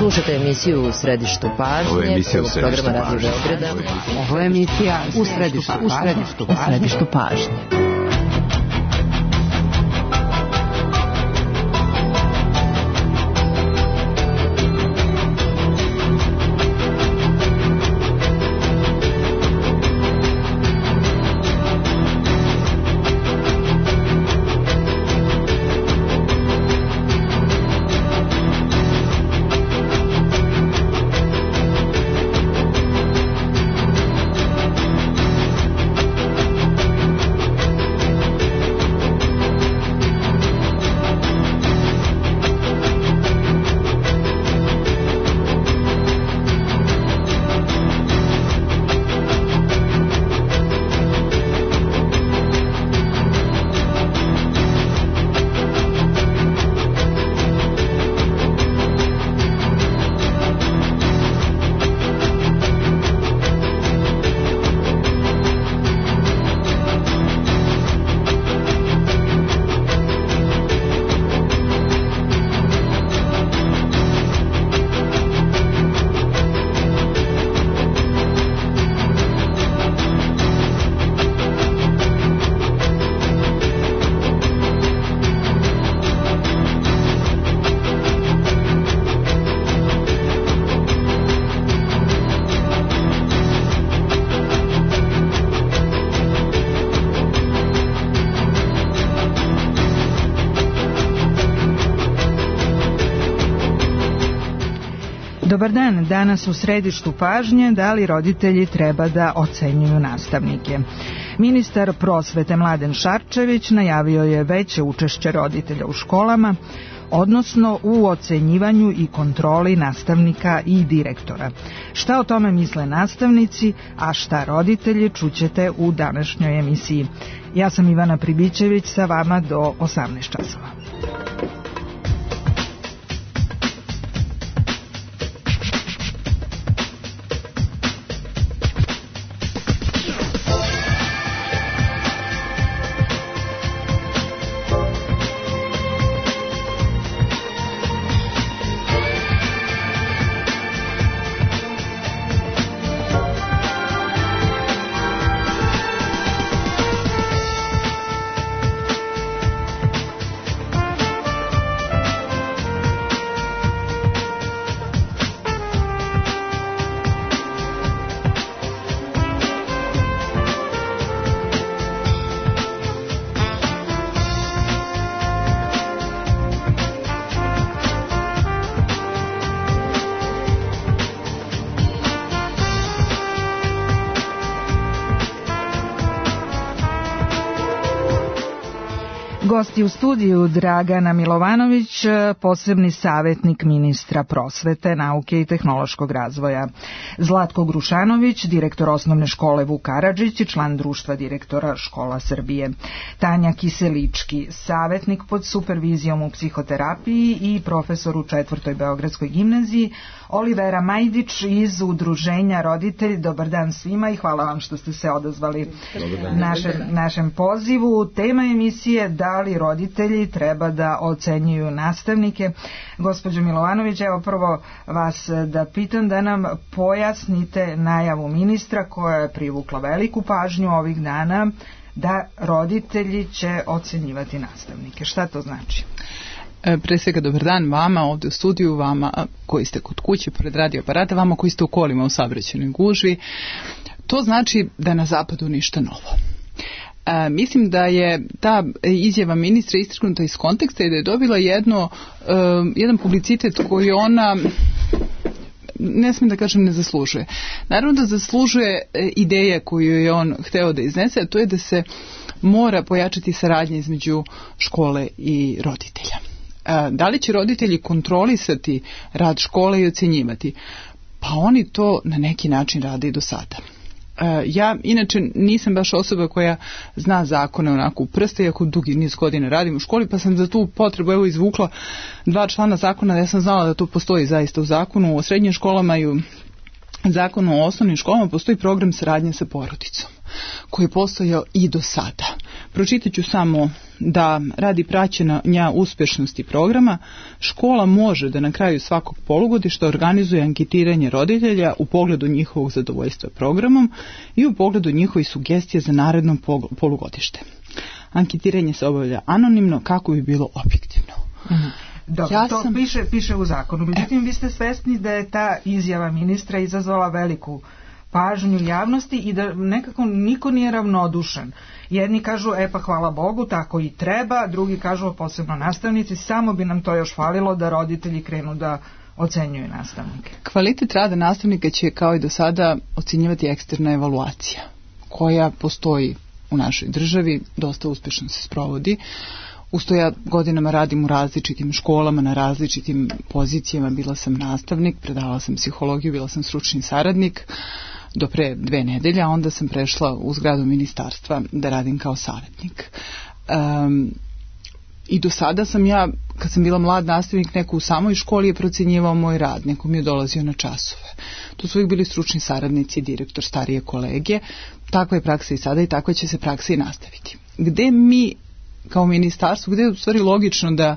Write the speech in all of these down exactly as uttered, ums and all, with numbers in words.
Slušajte emisiju U središtu pažnje, prvog programa Radio Beograda. Ovo je emisija U središtu, u središtu, u središtu pažnje. Dobar dan, danas u središtu pažnje da li roditelji treba da ocenjuju nastavnike. Ministar prosvete Mladen Šarčević najavio je veće učešće roditelja u školama, odnosno u ocenjivanju i kontroli nastavnika i direktora. Šta o tome misle nastavnici, a šta roditelji, čućete u današnjoj emisiji. Ja sam Ivana Pribićević, sa vama do osamnaest časova. Gosti u studiju Dragana Milovanović, posebni savjetnik ministra prosvete, nauke i tehnološkog razvoja. Zlatko Grušanović, direktor osnovne škole Vuk Karadžić i član društva direktora škola Srbije. Tanja Kiselički, savjetnik pod supervizijom u psihoterapiji i profesor u četvrtoj Beogradskoj gimnaziji. Olivera Majdić iz Udruženja Roditelji. Dobar dan svima i hvala vam što ste se odazvali našem, našem pozivu. Tema emisije da li roditelji treba da ocenjuju nastavnike. Gospođo Milovanović, evo prvo vas da pitam da nam pojasnite najavu ministra koja je privukla veliku pažnju ovih dana da roditelji će ocenjivati nastavnike. Šta to znači? Pre svega dobar dan vama ovdje u studiju, vama koji ste kod kuće pored radio aparata, vama koji ste u kolima u saobraćajnoj gužvi. To znači da na zapadu ništa novo. E, mislim da je ta izjava ministra istrgnuta iz konteksta i da je dobila jedno, e, jedan publicitet koji ona, ne smijem da kažem, ne zaslužuje. Naravno da zaslužuje ideje koju je on hteo da iznese, a to je da se mora pojačati saradnja između škole i roditelja. Da li će roditelji kontrolisati rad škole i ocenjivati? Pa oni to na neki način rade i do sada. Ja inače nisam baš osoba koja zna zakone onako u prste, iako dugi niz godina radim u školi, pa sam za tu potrebu evo izvukla dva člana zakona. Ja sam znala da to postoji zaista u zakonu o srednjim školama i u zakonu o osnovnim školama. Postoji program saradnje sa porodicom koji je postojao i do sada. Pročitat ću samo da radi praćenja uspješnosti programa, škola može da na kraju svakog polugodišta organizuje anketiranje roditelja u pogledu njihovog zadovoljstva programom i u pogledu njihovih sugestija za naredno polugodište. Anketiranje se obavlja anonimno kako bi bilo objektivno. Mhm. Dobro, ja to sam... piše, piše u zakonu. Međutim, vi ste svesni da je ta izjava ministra izazvala veliku pažnju javnosti i da nekako niko nije ravnodušan. Jedni kažu, e pa hvala Bogu, tako i treba, drugi kažu, posebno nastavnici, samo bi nam to još falilo da roditelji krenu da ocenjuju nastavnike. Kvalitet rada nastavnika će kao i do sada ocenjivati eksterna evaluacija koja postoji u našoj državi, dosta uspješno se sprovodi. Usto ja godinama radim u različitim školama, na različitim pozicijama, bila sam nastavnik, predavala sam psihologiju, bila sam stručni saradnik do pre dve nedelje, a onda sam prešla u zgradu ministarstva da radim kao savjetnik. Um, I do sada sam ja, kad sam bila mlad nastavnik, neko u samoj školi je procjenjivao moj rad, neko mi je dolazio na časove. To su uvijek bili stručni saradnici, direktor, starije kolege. Takva je praksa i sada i takva će se praksa i nastaviti. Gde mi kao ministarstvo, gde je u stvari logično da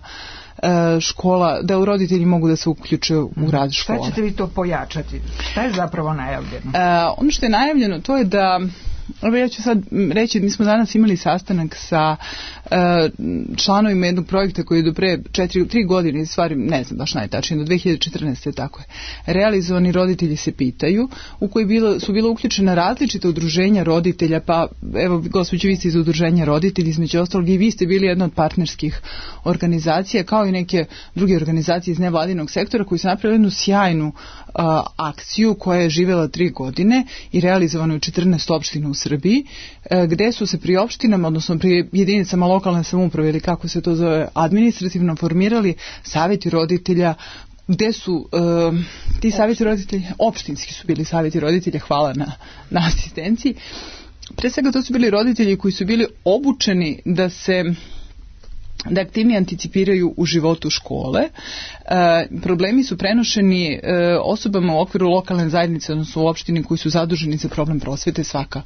e, škola, da roditelji mogu da se uključe u rad škole. Šta ćete vi to pojačati? Šta je zapravo najavljeno? E, ono što je najavljeno to je da, ja ću sad reći, mi smo danas imali sastanak sa e, članovima jednog projekta koji je do pre četiri, tri godine, stvari ne znam baš najtačnije, do dve hiljade četrnaeste tako je, realizovani roditelji se pitaju, u koji bilo, su bila uključena različita udruženja roditelja, pa evo gospođo, vi ste iz udruženja roditelji, između ostalog i vi ste bili jedna od partnerskih organizacija, kao i neke druge organizacije iz nevladinog sektora koji su napravili jednu sjajnu a, akciju koja je živjela tri godine i realizovana u četrnaest opština u Srbiji, gde su se pri opštinama, odnosno pri jedinicama lokalne samouprave ili kako se to zove administrativno formirali savjeti roditelja, gde su uh, ti savjeti roditelja, opštinski su bili savjeti roditelja, hvala na, na asistenciji. Pre svega to su bili roditelji koji su bili obučeni da se da aktivnije anticipiraju u životu škole. E, problemi su prenošeni e, osobama u okviru lokalne zajednice, odnosno u opštini koji su zaduženi za problem prosvete. Svaka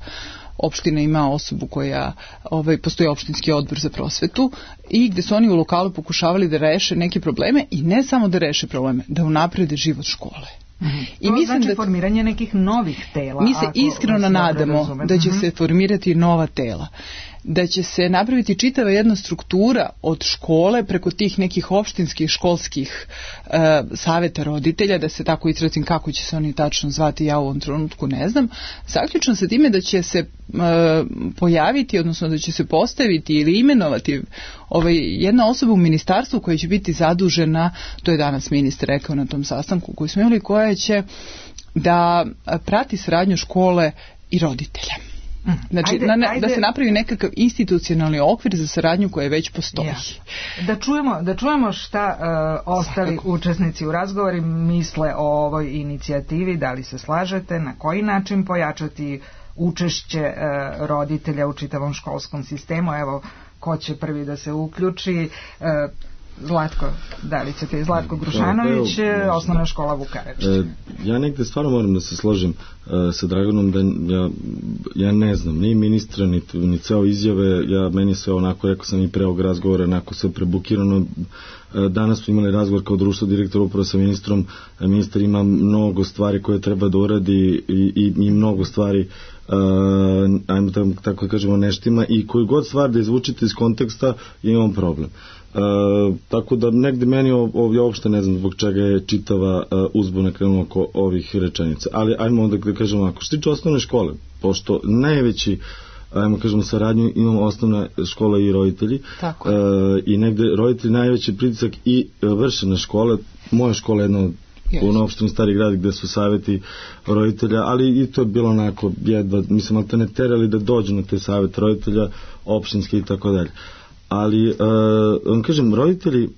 opština ima osobu koja, ovaj, postoji opštinski odbor za prosvetu i gde su oni u lokalu pokušavali da reše neke probleme i ne samo da reše probleme, da unaprede život škole. Mm-hmm. I to mislim znači da formiranje nekih novih tela. Mi se iskreno nadamo da će mm-hmm. se formirati nova tela, da će se napraviti čitava jedna struktura od škole preko tih nekih opštinskih školskih e, savjeta roditelja, da se tako izrazim kako će se oni tačno zvati, ja u ovom trenutku ne znam, zaključno sa time da će se e, pojaviti, odnosno da će se postaviti ili imenovati ovaj, jedna osoba u ministarstvu koja će biti zadužena, to je danas ministar rekao na tom sastanku koji smo imali, koja će da prati saradnju škole i roditelja. Znači, ajde, na, ajde. Da se napravi nekakav institucionalni okvir za saradnju koja već postoji. Ja. Da čujemo, da čujemo šta uh, ostali Svakako. učesnici u razgovori misle o ovoj inicijativi, da li se slažete, na koji način pojačati učešće uh, roditelja u čitavom školskom sistemu. Evo, ko će prvi da se uključi? Uh, Zlatko, da li ćete Zlatko Grušanović, evo, osnovna škola Vukareč. E, ja negde stvarno moram da se složim e, sa Draganom da ja, ja ne znam, ni ministra, ni, ni ceo izjave, ja meni sve onako, rekao sam i pre ovog razgovora, onako sve prebukirano. E, danas smo imali razgovor kao društvo direktora upravo sa ministrom, e, ministar ima mnogo stvari koje treba da uradi i, i, i mnogo stvari Uh, ajmo tako, tako kažemo neštima i koju god stvar da izvučite iz konteksta imam problem. Uh, tako da negde meni ovdje uopšte ne znam zbog čega je čitava uh, uzbuna krenula oko ovih rečenica, ali ajmo onda da kažemo ako što tiče osnovne škole, pošto najveći ajmo kažemo saradnju imamo osnovna škola i roditelji uh, i negde roditelji najveći pritisak i uh, vrše na škole. Moja škola je jedna od u yes. opštini Stari grad gde su savjeti roditelja, ali i to je bilo onako jedva, mislim, ali te ne terali da dođu na te savjete roditelja opštinske i tako dalje. Ali, uh, vam kažem, roditelji,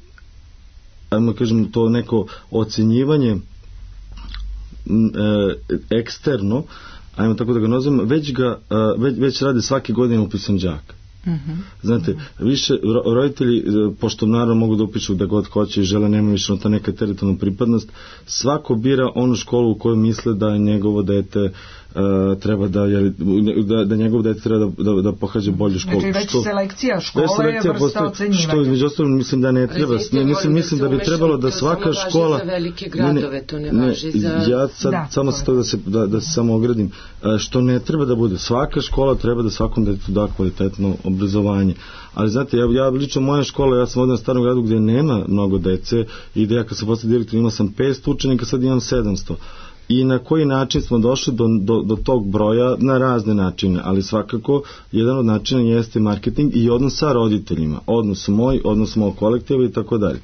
ajmo kažem, to neko ocenjivanje uh, eksterno, ajmo tako da ga nazovem, već, ga, uh, već, već rade svake godine upisan đak. Uh-huh. Znate, više roditelji, pošto naravno mogu da upišu da god hoće i žele, nema više ta neka teritorijalna pripadnost, svako bira onu školu u kojoj misle da njegovo dete Uh, treba da, da, da njegov dete treba da, da, da pohađa bolju školu. Znači već što, selekcija škole je vrsta ocenjivanja. Što između ostalog mislim da ne treba. Ne, mislim, mislim da bi trebalo da svaka škola... Za velike gradove, to ne važi za... Ja sad da, samo se to da se, da, da se samo ogradim. Što ne treba da bude. Svaka škola treba da svakom detetu da kvalitetno obrazovanje. Ali znate, ja, ja lično moja škola, ja sam ovdje na Starom gradu gdje nema mnogo dece i gdje ja kad sam postao direktor imao sam petsto učenika, sad imam sedamsto. I na koji način smo došli do, do, do tog broja? Na razne načine, ali svakako jedan od načina jeste marketing i odnos sa roditeljima, odnos moj, odnos moj kolektiva i tako dalje.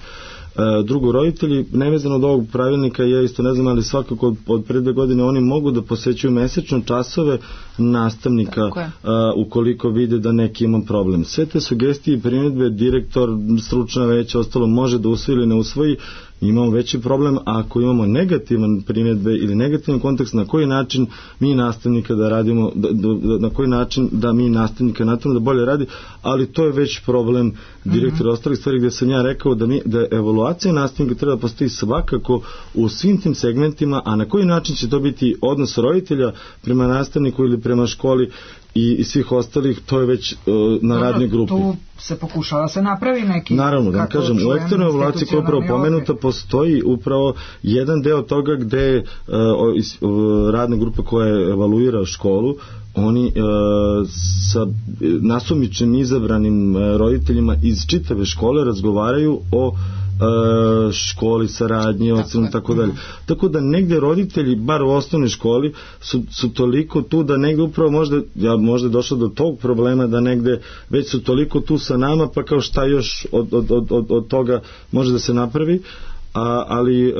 Drugo, roditelji, nevezano od ovog pravilnika, ja isto ne znam, ali svakako od, od pre dve godine oni mogu da posećuju mesečno časove nastavnika a, ukoliko vide da neki ima problem. Sve te sugestije i primjedbe direktor, stručna veća, ostalo može da usvoji ili ne usvoji. Imamo veći problem ako imamo negativan primjedbe ili negativan kontekst, na koji način mi nastavnika da radimo, da, da, na koji način da mi nastavnika nastavimo da bolje radi, ali to je već problem direktora mm-hmm. ostalih stvari gdje sam ja rekao da, mi, da evaluacija nastavnika treba postoji svakako u svim tim segmentima, a na koji način će to biti odnos roditelja prema nastavniku ili prema školi i, i svih ostalih, to je već uh, na Dobro, radnoj grupi. Tu se pokušava se napravi neki... Naravno, da kažem, u eksternoj evaluaciji koja je upravo pomenuta postoji upravo jedan deo toga gde uh, uh, radna grupa koja evaluira školu, oni uh, sa nasumičnim izabranim uh, roditeljima iz čitave škole razgovaraju o školi, saradnji, ocenu, tako dalje. Tako da negde roditelji, bar u osnovnoj školi, su, su toliko tu da negde upravo možda, ja možda je došlo do tog problema da negde već su toliko tu sa nama, pa kao šta još od, od, od, od, od toga može da se napravi. A, ali e,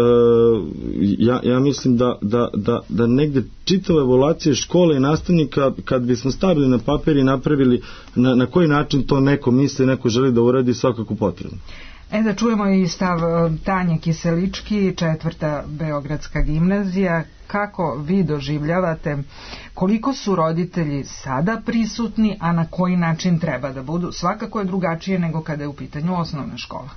ja, ja mislim da, da, da, da negde čitava evaluacija škole i nastavnika, kad bismo stavili na papir i napravili na, na koji način to neko misli, neko želi da uradi, svakako potrebno. E da čujemo i stav Tanje Kiselički, četvrta Beogradska gimnazija. Kako vi doživljavate, koliko su roditelji sada prisutni, a na koji način treba da budu? Svakako je drugačije nego kada je u pitanju osnovna škola.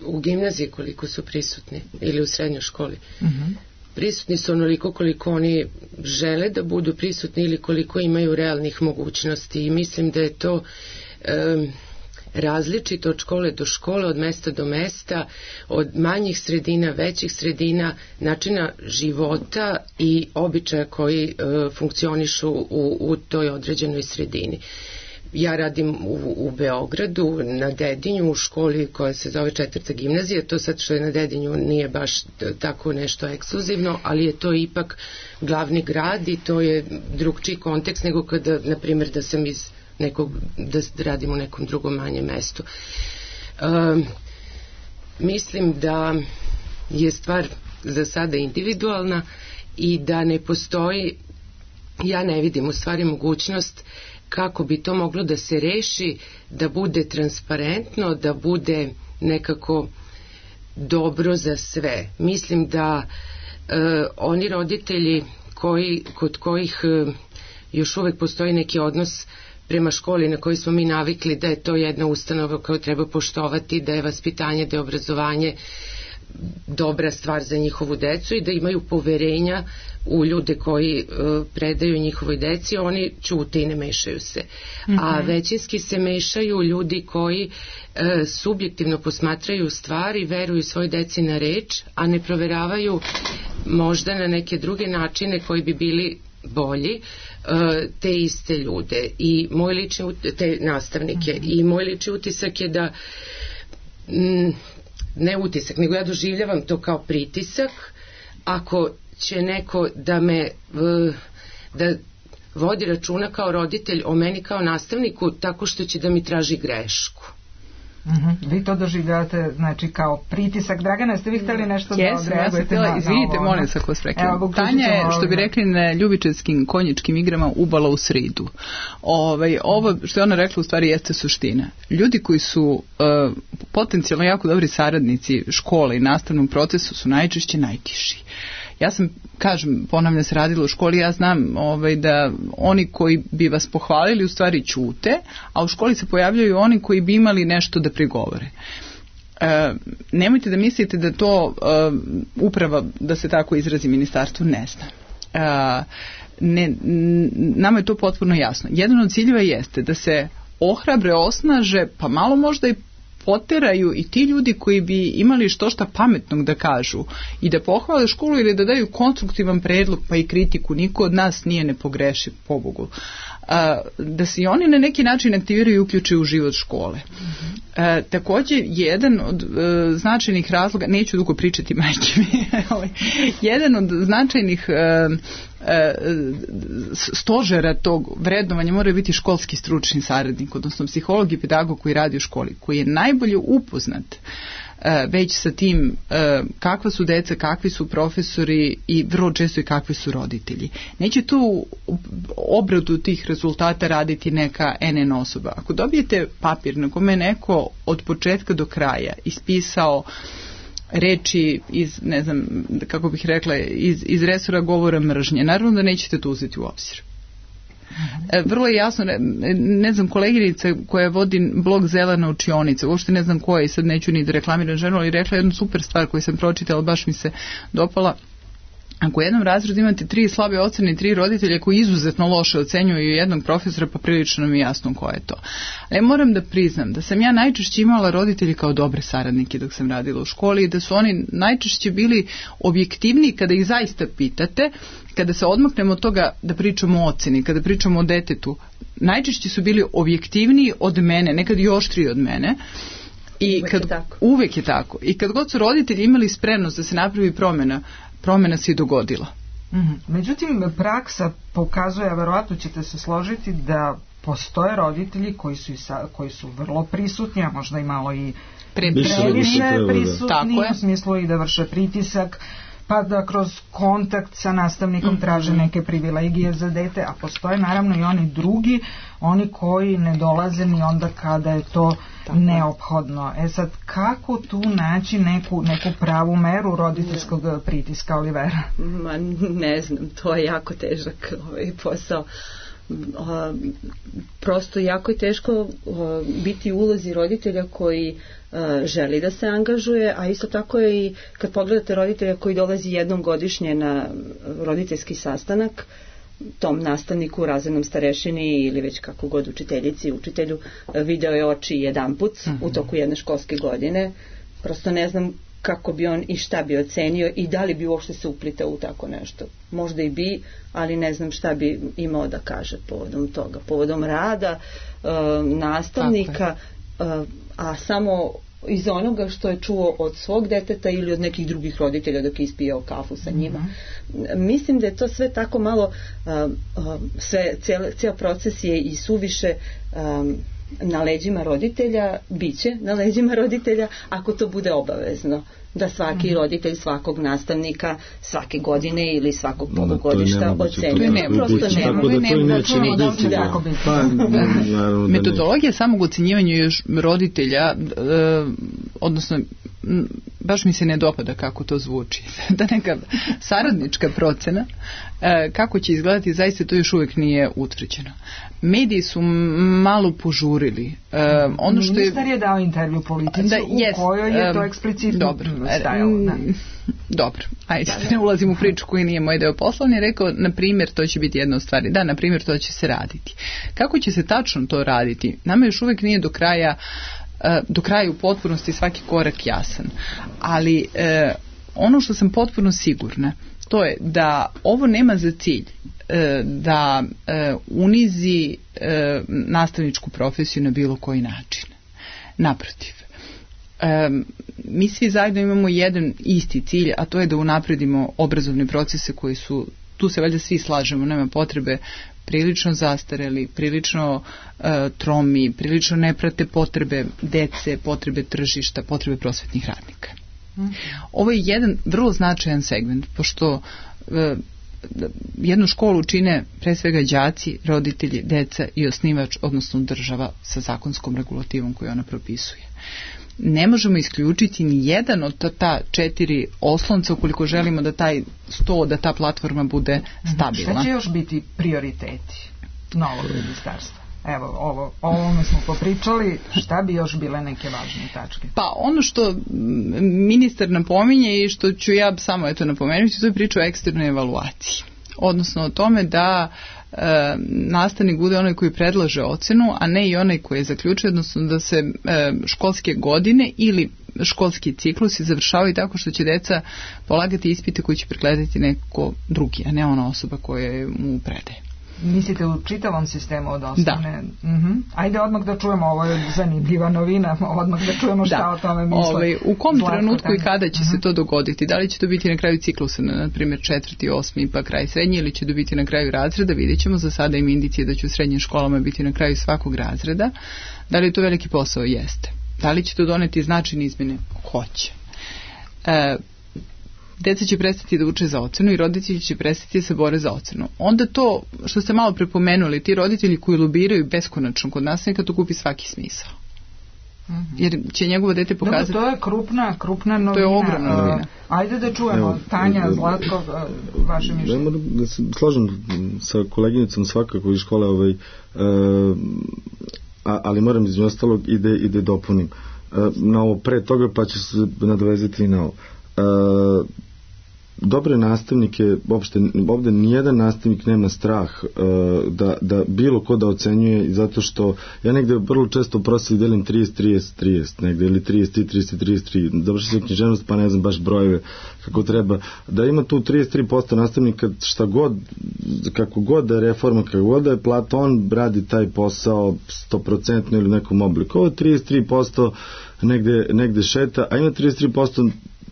U gimnaziji koliko su prisutni ili u srednjoj školi? Uh-huh. Prisutni su onoliko koliko oni žele da budu prisutni ili koliko imaju realnih mogućnosti, i mislim da je to... Um, različito od škole do škole, od mesta do mesta, od manjih sredina, većih sredina, načina života i običaja koji e, funkcionišu u, u toj određenoj sredini. Ja radim u, u Beogradu, na Dedinju, u školi koja se zove četvrta gimnazija. To sad što je na Dedinju nije baš tako nešto ekskluzivno, ali je to ipak glavni grad i to je drugčiji kontekst nego kada, na primjer, da sam iz nekog, da radim u nekom drugom manjem mestu. Um, mislim da je stvar za sada individualna i da ne postoji, ja ne vidim u stvari mogućnost kako bi to moglo da se reši, da bude transparentno, da bude nekako dobro za sve. Mislim da uh, oni roditelji koji, kod kojih uh, još uvek postoji neki odnos prema školi na koji smo mi navikli da je to jedna ustanova koju treba poštovati, da je vaspitanje, da je obrazovanje dobra stvar za njihovu decu i da imaju poverenja u ljude koji uh, predaju njihovoj deci, oni ćute i ne mešaju se. Mm-hmm. A većinski se mešaju ljudi koji uh, subjektivno posmatraju stvari, veruju svoj deci na reč, a ne proveravaju možda na neke druge načine koji bi bili bolji te iste ljude i moj lični te nastavnike mm-hmm. i moj lični utisak je da m, ne utisak, nego ja doživljavam to kao pritisak ako će neko da me da vodi računa kao roditelj o meni kao nastavniku tako što će da mi traži grešku. Mm-hmm. Vi to doživljavate znači kao pritisak. Dragana, jeste vi htjeli nešto yes, da odreagujete? Ja na, izvinite, molim se ako sprekam. Tanja je, što bi rekli na ljubičevskim konjičkim igrama, ubala u sridu. Ovaj, ovo što je ona rekla u stvari jeste suština. Ljudi koji su uh, potencijalno jako dobri saradnici škole i nastavnom procesu su najčešće najtiši. Ja sam, kažem, ponavljam se radila u školi, ja znam ovaj, da oni koji bi vas pohvalili u stvari ćute, a u školi se pojavljaju oni koji bi imali nešto da prigovore. E, nemojte da mislite da to e, uprava, da se tako izrazi, ministarstvo ne zna. E, ne, nama je to potpuno jasno. Jedan od ciljeva jeste da se ohrabre, osnaže, pa malo možda i poteraju i ti ljudi koji bi imali što šta pametnog da kažu i da pohvale školu ili da daju konstruktivan predlog pa i kritiku. Niko od nas nije nepogrešiv, pobogu. A, da se i oni na neki način aktiviraju i uključuju u život škole. A, također, jedan od a, značajnih razloga, neću dugo pričati, majke mi, jedan od značajnih a, a, stožera tog vrednovanja mora biti školski stručni saradnik, odnosno psiholog i pedagog koji radi u školi, koji je najbolje upoznat već sa tim kakva su deca, kakvi su profesori i vrlo često i kakvi su roditelji. Neće tu obradu tih rezultata raditi neka en en osoba. Ako dobijete papir na kome neko od početka do kraja ispisao reči iz, ne znam, kako bih rekla, iz, iz resora govora mržnje, naravno da nećete to uzeti u obzir. Vrlo je jasno, ne, ne znam, koleginica koja vodi blog Zelena učionica, uopšte ne znam koja i sad neću ni da reklamiram ženu, ali rekla jednu super stvar koju sam pročitala, baš mi se dopala. Ako u jednom razredu imate tri slabe ocene i tri roditelja koji izuzetno loše ocenjuju jednog profesora, pa prilično mi je jasno ko je to. Ali moram da priznam da sam ja najčešće imala roditelji kao dobre saradnike dok sam radila u školi i da su oni najčešće bili objektivniji kada ih zaista pitate, kada se odmaknemo od toga da pričamo o oceni, kada pričamo o detetu, najčešće su bili objektivniji od mene, nekad i oštriji od mene. I uvek, kad, je tako. uvek je tako. I kad god su roditelji imali spremnost da se napravi promjena, promjena se i dogodila. Mm-hmm. Međutim, praksa pokazuje, a verovatno ćete se složiti, da postoje roditelji koji su, sa, koji su vrlo prisutni, a možda i malo i previše prisutni, u smislu i da vrše pritisak, pa da kroz kontakt sa nastavnikom mm-hmm. traže neke privilegije za dete, a postoje naravno i oni drugi, oni koji ne dolaze ni onda kada je to tako neophodno. E sad, kako tu naći neku, neku pravu meru roditeljskog pritiska, Olivera? Ma, ne znam, to je jako težak ovaj posao. O, prosto jako je teško o, biti u ulozi roditelja koji o, želi da se angažuje, a isto tako je i kad pogledate roditelja koji dolazi jednom godišnje na roditeljski sastanak, tom nastavniku, razrednom starešini ili već kako god učiteljici, učitelju, video je oči jedanput uh-huh. u toku jedne školske godine. Prosto ne znam kako bi on i šta bi ocenio i da li bi uopšte se uplitao u tako nešto. Možda i bi, ali ne znam šta bi imao da kaže povodom toga. Povodom rada uh, nastavnika, uh, a samo iz onoga što je čuo od svog deteta ili od nekih drugih roditelja dok je ispijao kafu sa njima. Mm-hmm. Mislim da je to sve tako malo, uh, uh, sve, cijel, cijel proces je i suviše um, na leđima roditelja, biće na leđima roditelja ako to bude obavezno. Da svaki mm-hmm. roditelj svakog nastavnika svake godine ili svakog polugodišta ocenjuje. Ne, prosto nema. Tako da to neće ni biti. Da. Pa, metodologija samog ocenjivanja još roditelja, e, odnosno baš mi se ne dopada kako to zvuči. Da neka saradnička procena e, kako će izgledati, zaista to još uvijek nije utvrđeno. Mediji su malo požurili. E, ono što Ministar je, je dao intervju Politici da, u jest, kojoj je to eksplicitno dobro, stajalo. Da. Dobro, ajde, da, ne ulazim u priču koji nije moj deo posla, on je rekao, na primjer, to će biti jedna od stvari. Da, na primjer, to će se raditi. Kako će se tačno to raditi? Nama još uvijek nije do kraja do kraja u potpunosti svaki korak jasan. Ali e, ono što sam potpuno sigurna, to je da ovo nema za cilj e, da e, unizi e, nastavničku profesiju na bilo koji način. Naprotiv. E, mi svi zajedno imamo jedan isti cilj, a to je da unapredimo obrazovne procese koji su, tu se valjda svi slažemo, nema potrebe, prilično zastareli, prilično uh, tromi, prilično ne prate potrebe dece, potrebe tržišta, potrebe prosvetnih radnika. Mm. Ovo je jedan vrlo značajan segment, pošto uh, jednu školu čine pre svega đaci, roditelji, deca i osnivač, odnosno država sa zakonskom regulativom koju ona propisuje. ne možemo isključiti ni jedan od ta, ta četiri oslonca ukoliko želimo da taj sto, da ta platforma bude stabilna. Šta će još biti prioriteti novog ministarstva? Evo, ovo, o ovome smo popričali, šta bi još bile neke važne tačke? Pa ono što ministar napominje i što ću ja samo eto napomenuti, to je priča o eksternoj evaluaciji. Odnosno o tome da e, nastavnik bude onaj koji predlaže ocenu, a ne i onaj koji je zaključio, odnosno da se e, školske godine ili školski ciklusi završavaju tako što će deca polagati ispite koji će pregledati neko drugi, a ne ona osoba koja mu predaje. Mislite u čitavom sistemu od osnovne? Da. Uh-huh. Ajde odmah da čujemo, ovo je zanimljiva novina, odmah da čujemo šta da. O tome misle. Ove, u kom Zlatko trenutku tamo. I kada će uh-huh. se to dogoditi? Da li će to biti na kraju ciklusa, na primjer četvrti, osmi pa kraj srednji, ili će to biti na kraju razreda? Vidjet ćemo, za sada im indicije da će u srednjim školama biti na kraju svakog razreda. Da li je to veliki posao? Jeste. Da li će to doneti značajne izmjene? Hoće. E, Deca će prestati da uče za ocenu i roditelji će prestati da se bore za ocenu. Onda to, što ste malo prepomenuli, ti roditelji koji lobiraju beskonačno kod nastavnika, to kupi svaki smisao. Mm-hmm. Jer će njegovo dete pokazati... Dobro, to je krupna, krupna novina. To je ogromna novina. Uh, ajde da čujemo, evo, Tanja, Zlatko, uh, vaše mišljenje. Da, da se složim sa koleginicom svakako iz škole, ovaj, uh, a, ali moram između ostalog i da, i da dopunim uh, na ovo pre toga, pa ću se nadovezati i na ovo. Uh, dobre nastavnike, uopšte, ovde nijedan nastavnik nema strah uh, da, da bilo ko da ocenjuje, zato što ja negde vrlo često u prostavi delim trideset trideset trideset negde, ili trideset tri trideset trideset tri, završi se književnost pa ne znam baš brojeve kako treba, da ima tu trideset tri posto nastavnika šta god, kako god da je reforma, kako god da je plata, on radi taj posao sto posto ili nekom obliku. Ovo trideset tri posto negde, negde šeta, a ima trideset tri posto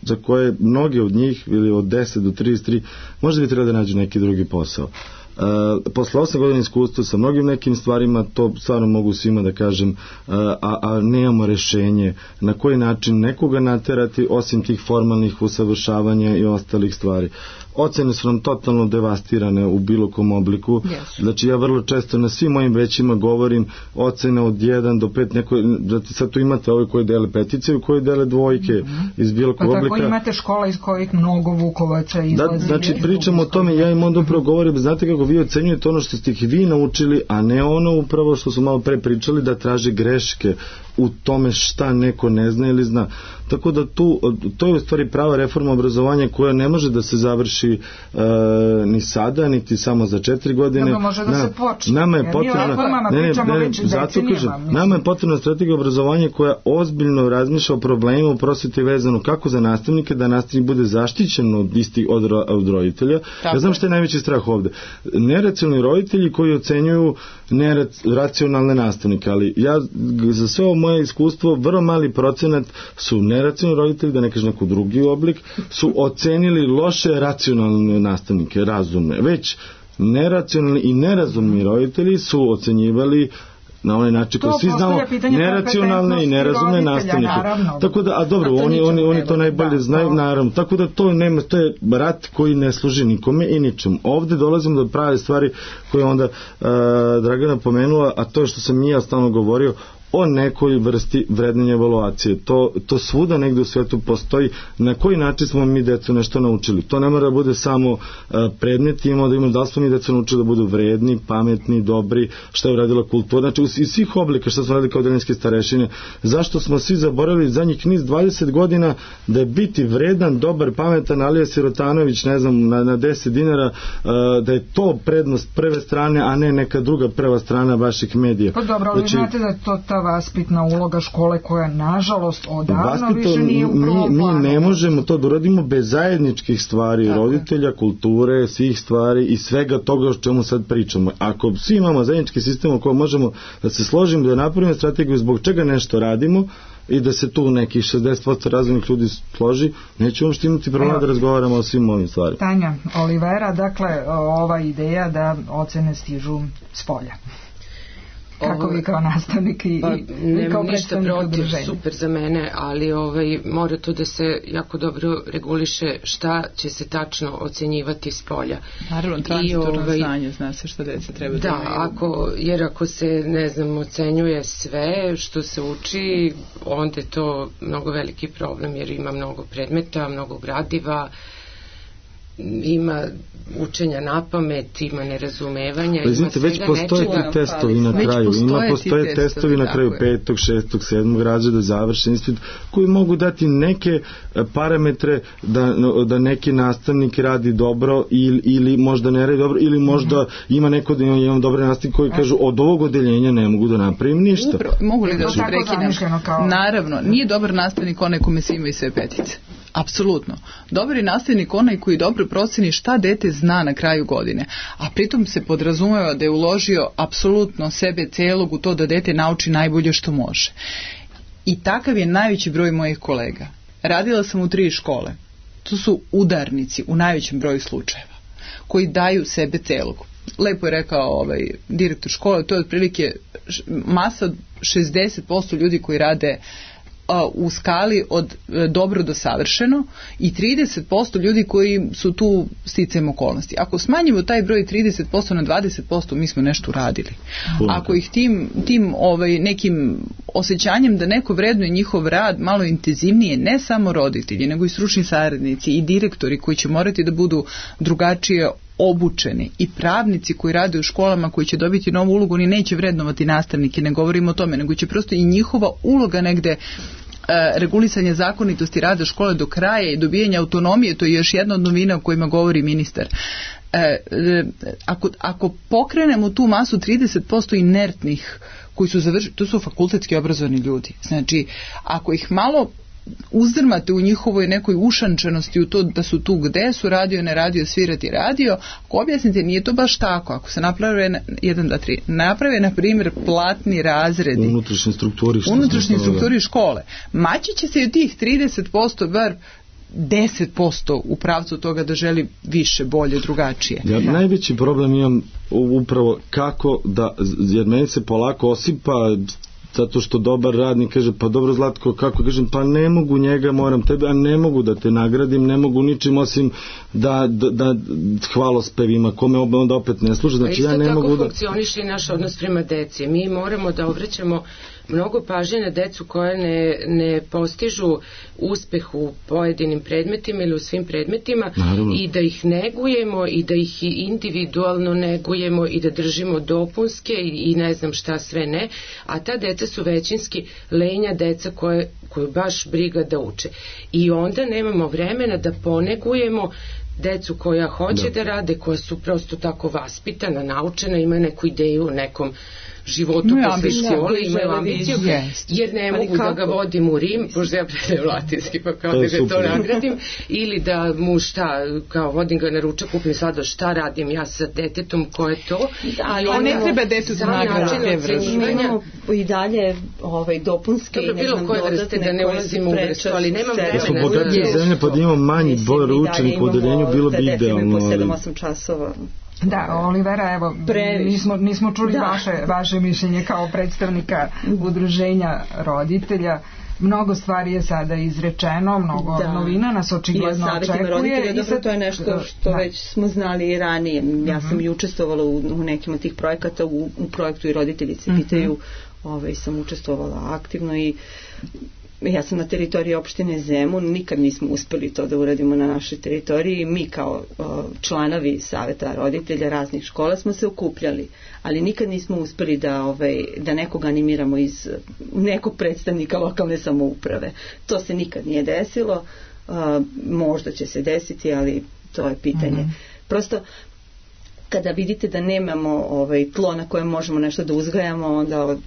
za koje mnogi od njih, ili od deset do trideset tri, možda bi trebalo da nađu neki drugi posao. Uh, posle osam godina iskustva sa mnogim nekim stvarima, to stvarno mogu svima da kažem, uh, a, a nemamo rešenje na koji način nekoga naterati osim tih formalnih usavršavanja i ostalih stvari. Ocene su nam totalno devastirane u bilo kom obliku. Yes. Znači ja vrlo često na svim mojim većima govorim ocene od jedan do pet, neko, znači sad tu imate ove koji dele petice i koji dele dvojke mm-hmm. iz bilo kog oblika. Pa tako imate škola iz kojih mnogo Vukovaca izlazi. Da, znači pričamo o tome, ja im onda upravo govorim, znate kako vi ocenjujete ono što ste ih vi naučili, a ne ono upravo što su malo pre pričali, da traže greške u tome šta neko ne zna ili zna. Tako da tu, to je u stvari prava reforma obrazovanja koja ne može da se završi e, ni sada, niti samo za četiri godine. Dobro, može da Na, se počne. Nama je potrebna, ne, ne, ne, zato kažem, nama je potrebna strategija obrazovanja koja ozbiljno razmišlja o problemima u prosveti vezano kako za nastavnike, da nastavnik bude zaštićen od istih od, od roditelja. Tako. Ja znam što je najveći strah ovde. Neracionalni roditelji koji ocenjuju neracionalne nastavnike, ali ja za sve ovo moje iskustvo, vrlo mali procenat su neracionalni roditelji, da ne kažem neko drugi oblik, su ocenili loše racionalne nastavnike, razumne. Već neracionalni i nerazumni roditelji su ocenjivali na onaj način koji svi znamo neracionalne i nerazumne nastavnike. Naravno. Tako da, a dobro, a oni, oni, oni to najbolje da, znaju, to... naravno. Tako da to nema, to je rat koji ne služi nikome i ničemu. Ovde dolazimo do prave stvari koje onda uh, Dragana pomenula, a to je što sam i ja stalno govorio, o nekoj vrsti vrednenja evaluacije. To, to svuda negde u svetu postoji. Na koji način smo mi decu nešto naučili? To ne mora da bude samo uh, predmet, imamo da imamo da li smo mi decu naučili da budu vredni, pametni, dobri, šta je uradila kultura. Znači, iz svih oblika što smo radili kao delinske starešine, zašto smo svi zaboravili zadnjih niz dvadeset godina da je biti vredan, dobar, pametan, Alija Sirotanović, ne znam, na, na deset dinara, uh, da je to prednost prve strane, a ne neka druga prva strana vaših medija. Pa dobro, ali znači, znate da je to ta vaspitna uloga škole koja nažalost odavno vaspito, više nije u prvom mi, planu. Mi ne možemo to da uradimo bez zajedničkih stvari, tako roditelja, kulture, svih stvari i svega toga o čemu sad pričamo. Ako svi imamo zajednički sistem o kojem možemo da se složimo, da napravimo strategiju zbog čega nešto radimo i da se tu nekih šezdeset posto razumnih ljudi složi, nećemo što imati problema da razgovaramo o svim ovim stvarima. Tanja Olivera, dakle, ova ideja da ocene stižu s polja. Kako vi kao nastavnik i, pa, i kao ništa protiv, udruženja? super za mene, ali ovaj, mora to da se jako dobro reguliše šta će se tačno ocenjivati s polja. Naravno, transitorno ovaj, znanje, zna se šta deca treba da, da imaju. ako, jer ako se, ne znam, ocenjuje sve što se uči, onda je to mnogo veliki problem, jer ima mnogo predmeta, mnogo gradiva, ima učenja na pamet, ima nerazumevanja, pa, izvite, ima već postoje ti testovi na kraju, ima postoje testovi na kraju petog, šestog, sedmog razreda, završen ispit, koji mogu dati neke parametre da, da neki nastavnik radi dobro ili, ili možda ne radi dobro, ili možda mm-hmm. ima neko da imam dobre nastavnike koji kažu od ovog odeljenja ne mogu da napravim ništa. Upravo, mogu li da se prekinem? Kao... Naravno, nije dobar nastavnik onaj kome se ima i sve petice. Apsolutno. Dobar je nastavnik onaj koji dobro proceni šta dete zna na kraju godine, a pritom se podrazumeva da je uložio apsolutno sebe celog u to da dete nauči najbolje što može. I takav je najveći broj mojih kolega. Radila sam u tri škole. To su udarnici u najvećem broju slučajeva koji daju sebe celog. Lepo je rekao ovaj direktor škole, to je otprilike masa šezdeset posto ljudi koji rade u skali od dobro do savršeno i trideset posto ljudi koji su tu sticajem okolnosti. Ako smanjimo taj broj trideset posto na dvadeset posto, mi smo nešto uradili. Ako ih tim, tim ovaj, nekim osjećanjem da neko vrednuje njihov rad malo intenzivnije, ne samo roditelji, nego i stručni saradnici i direktori koji će morati da budu drugačije obučeni i pravnici koji rade u školama koji će dobiti novu ulogu, oni neće vrednovati nastavnike, ne govorimo o tome, nego će prosto i njihova uloga negde e, regulisanje zakonitosti rada škole do kraja i dobijanja autonomije, to je još jedna od novina o kojima govori ministar. E, e, ako, ako pokrenemo tu masu trideset posto inertnih koji su završili, to su fakultetski obrazovani ljudi. Znači, ako ih malo uzdrmate u njihovoj nekoj ušančenosti u to da su tu gde su radio, ne radio, svirati radio, ako objasnite nije to baš tako, ako se naprave jedan, dva, tri, naprave na primjer platni razredi unutrašnje strukturi, unutrašnje strukturi škole, maći će se i od tih trideset posto bar deset posto u pravcu toga da želi više, bolje, drugačije. Ja najveći problem imam upravo kako da, jer meni se polako osipa zato što dobar radnik kaže, pa dobro Zlatko, kako kažem, pa ne mogu njega, moram tebe, a ne mogu da te nagradim, ne mogu ničim osim da, da, da hvalospevima, kome onda opet ne služe, znači ja ne mogu da... Isto tako funkcioniše i naš odnos prema deci. Mi moramo da obraćamo mnogo pažnje na decu koje ne, ne postižu uspeh u pojedinim predmetima ili u svim predmetima. Naravno. I da ih negujemo i da ih individualno negujemo i da držimo dopunske i, i ne znam šta sve ne, a ta deca su većinski lenja deca koje, koju baš briga da uče. I onda nemamo vremena da ponegujemo decu koja hoće da, da rade, koja su prosto tako vaspitana, naučena, ima neku ideju o nekom životu no, posle škole, imaju ambiciju, jer ne mogu da ga vodim u Rim, pošto ja predajem latinski, pa kao to da ga to nagradim, ili da mu šta, kao vodim ga na ručak, kupim sada šta radim ja sa detetom, ko je to. Da, ali on ne treba detetu da nagrade. Imamo i dalje ovaj, dopunske i ne znam dodatne da ne ulazimo u vrstu, ali nemam vremena. Da su bogatije zemlje, pa da imamo manji broj učenika u odeljenju, bilo bi idealno. Po sedam osam časova. Da, Olivera, evo, nismo, nismo čuli da. vaše, vaše mišljenje kao predstavnika udruženja roditelja. Mnogo stvari je sada izrečeno, mnogo da. novina nas očigledno očekuje. Roditelja, i dobro, to je nešto što da. već smo znali i ranije. Ja sam i učestvovala u, u nekim od tih projekata, u, u projektu i roditelji se pitaju, uh-huh. ovaj, sam učestvovala aktivno i ja sam na teritoriji opštine Zemun, nikad nismo uspeli to da uradimo na našoj teritoriji. Mi kao o, članovi saveta roditelja raznih škola smo se okupljali, ali nikad nismo uspeli da, ovaj, da nekog animiramo iz nekog predstavnika lokalne samouprave. To se nikad nije desilo, a, možda će se desiti, ali to je pitanje. Mm-hmm. Prosto, kada vidite da nemamo ovaj, tlo na kojem možemo nešto da uzgajamo, onda od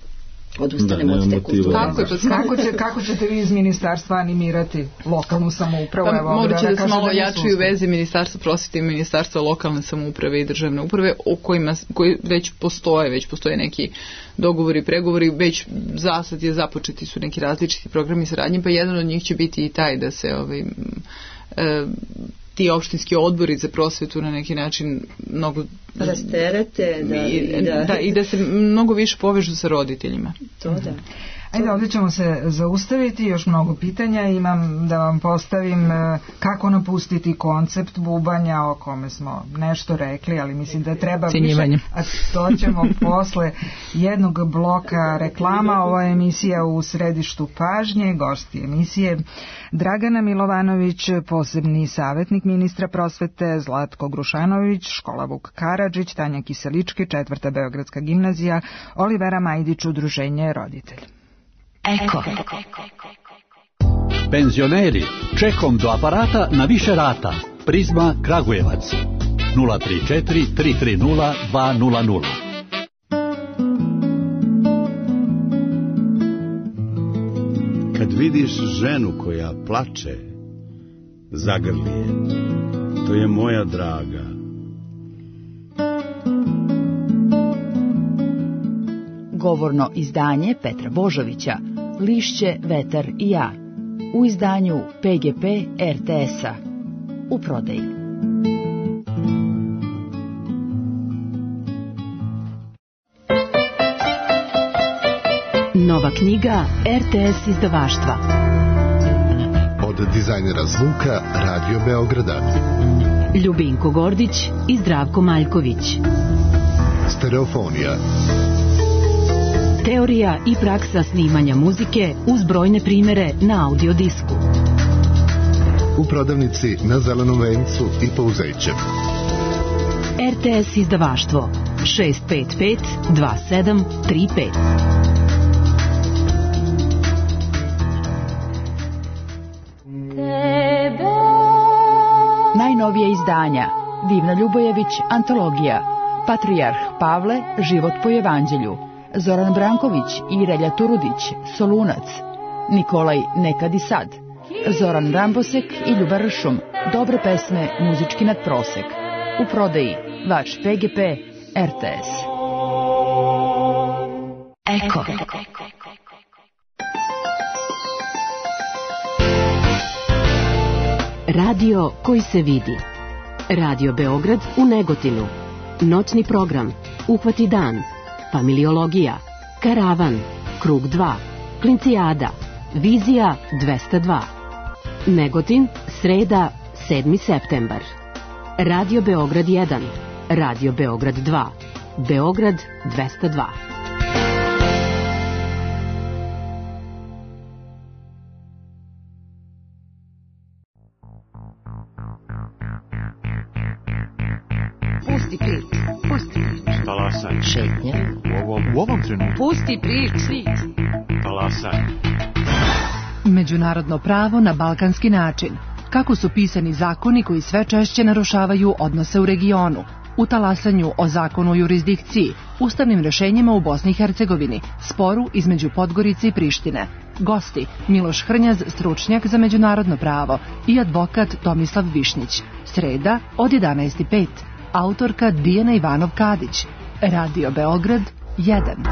odustanemo od te kulture. Kako, kako, će, kako ćete vi iz ministarstva animirati lokalnu samoupravu? Pa, morat će da se malo jačuju veze ministarstva prosvete i ministarstva lokalne samouprave i državne uprave o kojima koji već postoje, već postoje neki dogovori, pregovori, već zasad je započeti su neki različiti programi saradnje, pa jedan od njih će biti i taj da se ovaj, e, ti opštinski odbori za prosvetu na neki način mnogo rasterete, da, i, da, da, i da se mnogo više povežu sa roditeljima. To da. Ajde, ovdje ćemo se zaustaviti, još mnogo pitanja imam da vam postavim. Kako napustiti koncept bubanja, o kome smo nešto rekli, ali mislim da treba više, a to ćemo posle jednog bloka reklama. Ova emisija u središtu pažnje, gosti emisije Dragana Milovanović, posebni savjetnik ministra prosvete, Zlatko Grušanović, škola Vuk Karadžić, Tanja Kiselički, četvrta Beogradska gimnazija, Olivera Majdić, udruženje Roditelj. Eko. Penzioneri, čekom do aparata na više rata. Prizma Kragujevac. nula tri četiri tri tri nula dva nula nula. Kad vidiš ženu koja plače, zagrli je. To je moja draga. Govorno izdanje Petra Božovića, Lišće, vetar i ja, u izdanju P G P R T S-a, u prodaji. Nova knjiga R T S izdavaštva. Od dizajnera zvuka Radio Beograda. Ljubinko Gordić i Zdravko Maljković. Stereofonija. Teorija i praksa snimanja muzike uz brojne primere na audio disku. U prodavnici na Zelenom vencu i Pouzeće. R T S izdavaštvo šest pet pet dva sedam tri pet. Najnovije izdanja: Divna Ljubojević, antologija, Patrijarh Pavle, život po evanđelju, Zoran Branković i Relja Turudić, Solunac, Nikolaj Nekad i sad, Zoran Rambosek i Ljuba Ršum, dobre pesme, muzički nadprosek. U prodaji vaš P G P R T S. Eko. Radio koji se vidi. Radio Beograd u Negotinu. Noćni program, Uhvati dan, Familiologija, Karavan, Krug dva, Klincijada, Vizija dvesta dva. Negotin, sreda, sedmi septembar. Radio Beograd jedan, Radio Beograd dva, Beograd dvesta dva. Pusti prič, pusti prič. Talasaj. Šetnja. U ovom, u ovom trenutku. Pusti prič. Talasaj. Međunarodno pravo na balkanski način. Kako su pisani zakoni koji sve češće narušavaju odnose u regionu. U talasanju o zakonu o jurisdikciji, ustavnim rešenjima u Bosni i Hercegovini, sporu između Podgorice i Prištine. Gosti: Miloš Hrnjaz, stručnjak za međunarodno pravo, i advokat Tomislav Višnjić. Sreda od jedanaest i pet. Autorka Dijana Ivanov-Kadić. Radio Beograd jedan.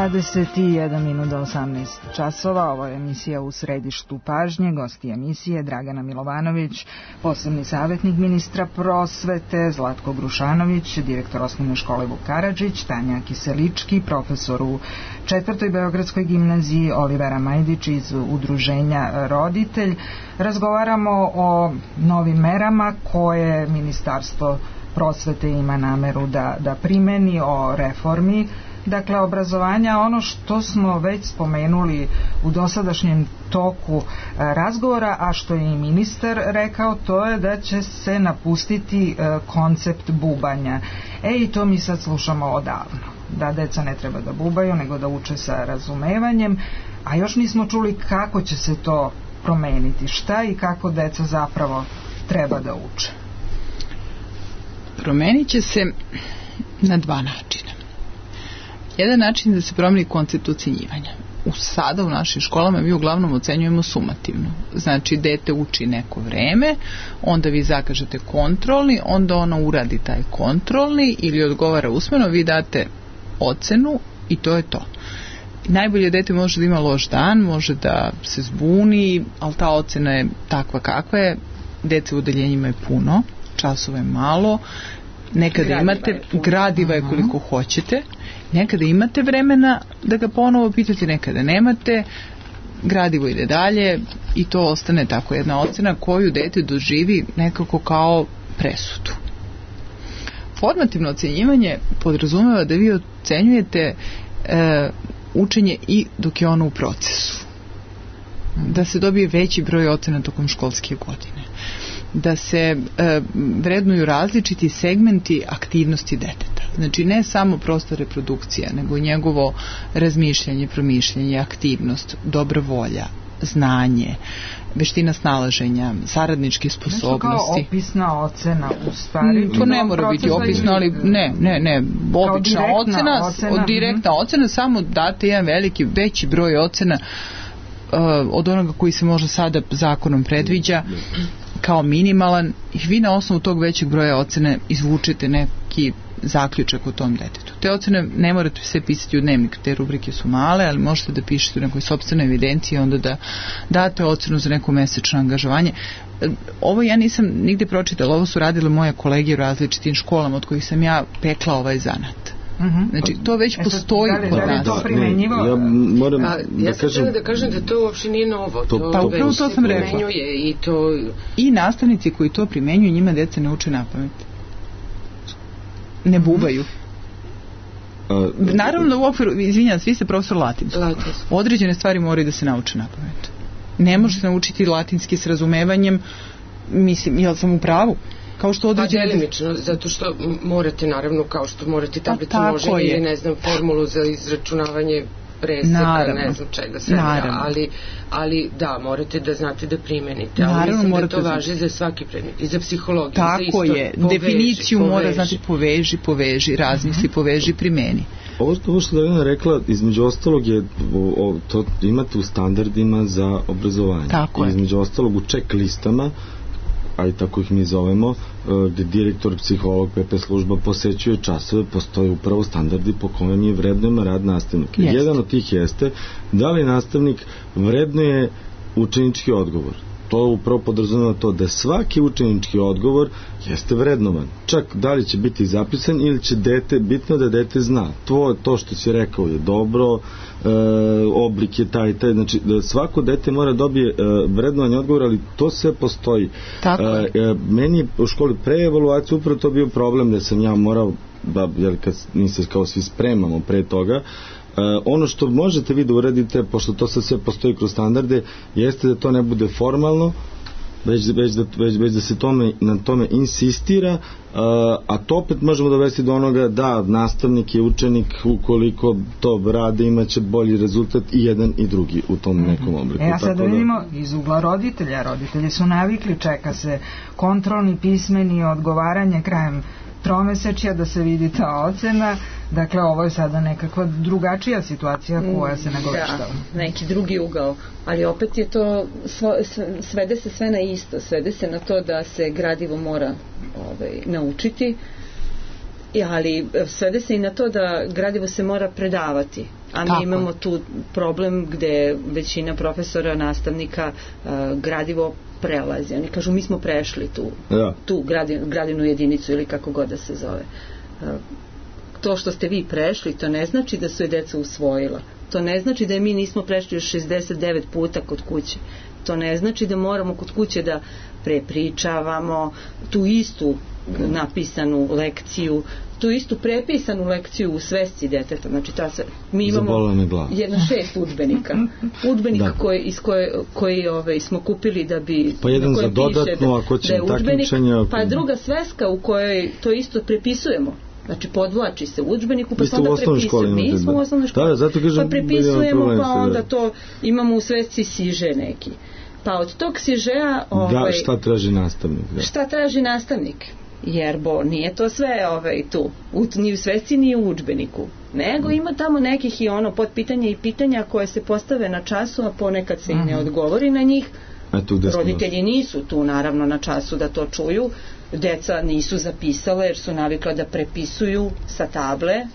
dvadeset jedan minut do osamnaest časova. Ovo je emisija U središtu pažnje. Gosti emisije Dragana Milovanović, posebni savjetnik ministra prosvete, Zlatko Grušanović, direktor osnovne škole Vuk Karadžić, Tanja Kiselički, profesor u četvrtoj Beogradskoj gimnaziji, Olivera Majdić iz udruženja Roditelj. Razgovaramo o novim merama koje Ministarstvo prosvete ima nameru da, da primeni, o reformi dakle obrazovanja. Ono što smo već spomenuli u dosadašnjem toku razgovora, a što je i ministar rekao, to je da će se napustiti koncept bubanja. E i to mi sad slušamo odavno, da deca ne treba da bubaju nego da uče sa razumevanjem, a još nismo čuli kako će se to promeniti, šta i kako deca zapravo treba da uče. Promenit će se na dva načina. Jedan način da se promeni koncept ocenjivanja. U sada u našim školama mi uglavnom ocenjujemo sumativno. Znači, dete uči neko vreme, onda vi zakažete kontrolni, onda ono uradi taj kontrolni ili odgovara usmeno, vi date ocenu i to je to. Najbolje dete može da ima loš dan, može da se zbuni, ali ta ocena je takva kakva je. Dece u odeljenjima je puno, časova je malo, nekada gradiva imate je gradiva je koliko hoćete, nekada imate vremena da ga ponovo pitate, nekada nemate, gradivo ide dalje i to ostane tako jedna ocena koju dete doživi nekako kao presudu. Formativno ocenjivanje podrazumeva da vi ocenjujete e, učenje i dok je ono u procesu, da se dobije veći broj ocena tokom školske godine, da se e, vrednuju različiti segmenti aktivnosti deteta. Znači ne samo prosta reprodukcija, nego njegovo razmišljanje, promišljanje, aktivnost, dobra volja, znanje, veština snalaženja, saradničke sposobnosti. Nešto kao opisna ocena u stvari. Mm, to ne mora biti opisna, ali ne, ne, ne, obična ocena, ocena, direktna mm. ocena, samo date jedan veliki, veći broj ocena uh, od onoga koji se možda sada zakonom predviđa kao minimalan, i vi na osnovu tog većeg broja ocene izvučete neki zaključak o tom detetu. Te ocene ne morate sve pisati u dnevnik, te rubrike su male, ali možete da pišete u nekoj sopstvenoj evidenciji i onda da date ocenu za neko mesečno angažovanje. Ovo ja nisam nigde pročitala, ovo su radile moje kolege u različitim školama od kojih sam ja pekla ovaj zanat. Uh-huh. Znači, to već postoji kod nas. Da, ne, ja moram A, da ja sam kažem... da kažem da to uopšte nije novo. To, to, pa upravo to sam rekla. I, to... I nastavnici koji to primenjuju, njima deca ne uče napamet. Ne bubaju. A, Naravno da u okviru, izvinjam, svi ste profesor latinskog. Latinsko. Određene stvari moraju da se nauče napamet. Ne možete naučiti latinski s razumevanjem, mislim, jel sam u pravu? Kao što određene... Pa delimično, zato što morate, naravno, kao što morate tablicu množenja ili, ne znam, formulu za izračunavanje preseka, naravno, ne znam čega sve, ali, ali da, morate da znate da primenite. Ali naravno, mislim da to važi za svaki predmet, i za psihologiju, tako za istoriju. Je, poveži, definiciju poveži. Mora znati poveži, poveži, razmisli, poveži, primeni. Ovo što, ovo što Dragana rekla, između ostalog je, o, o, to imate u standardima za obrazovanje. Tako je. Između ostalog u check listama, ali tako ih mi zovemo, gde direktor, psiholog, P P služba posećuje časove, postoje upravo standardi po kome mi vrednujemo rad nastavnika. Jest. Jedan od tih jeste da li nastavnik vrednuje učenički odgovor. To upravo podrazumeva to da svaki učenički odgovor jeste vrednovan. Čak da li će biti zapisan ili će dete, bitno da dete zna. To, to što si rekao je dobro, e, oblik je taj, taj, znači da svako dete mora dobije e, vrednovanje odgovora, ali to sve postoji. Tako je. E, meni je u školi pre evaluacije upravo to bio problem da sam ja morao, da, jer kad mi se kao svi spremamo pre toga, Uh, ono što možete vi da uradite, pošto to sad sve postoji kroz standarde, jeste da to ne bude formalno, već, već, da, već, već da se tome, na tome insistira, uh, a to opet možemo dovesti do onoga da nastavnik i učenik, ukoliko to rade, imaće bolji rezultat i jedan i drugi u tom nekom obliku. E, a sad da vidimo iz ugla roditelja. Roditelji su navikli, čeka se kontrolni, pismeni, odgovaranje krajem tromesečja da se vidi ta ocena. Dakle, ovo je sada nekakva drugačija situacija koja se nagoveštava. Da, neki drugi ugao. Ali opet je to, svede se sve na isto. Svede se na to da se gradivo mora ovaj, naučiti ali svede se i na to da gradivo se mora predavati, a mi Tako. imamo tu problem gde većina profesora, nastavnika uh, gradivo prelazi. Oni kažu mi smo prešli tu, ja. tu gradinu, gradinu jedinicu ili kako god da se zove. Uh, to što ste vi prešli, to ne znači da su je deca usvojila. To ne znači da je mi nismo prešli još šezdeset devet puta kod kuće. To ne znači da moramo kod kuće da prepričavamo tu istu napisanu lekciju, tu istu prepisanu lekciju u svesci deteta. Znači ta se, mi imamo jedna šest udžbenika. Udžbenika koji, iz koje, koji ove, smo kupili da bi... Pa jedan za dodatno, da, ako će da takmičenja... Pa druga sveska u kojoj to isto prepisujemo. Znači podvlači se u udžbeniku pa se onda prepisujemo. Mi smo u osnovnoj školi. Da, zato kažem, pa prepisujemo pa onda to imamo u svesci siže neki. Pa od tog sižeja... Ovaj, da, šta traži nastavnik? Da. Šta traži nastavnik? Jer bo nije to sve ovaj, tu, u, ni u svesci ni u udžbeniku, nego ima tamo nekih i ono podpitanja i pitanja koje se postave na času, a ponekad se i ne odgovori na njih. Roditelji nisu tu naravno na času da to čuju, deca nisu zapisale jer su navikla da prepisuju sa table.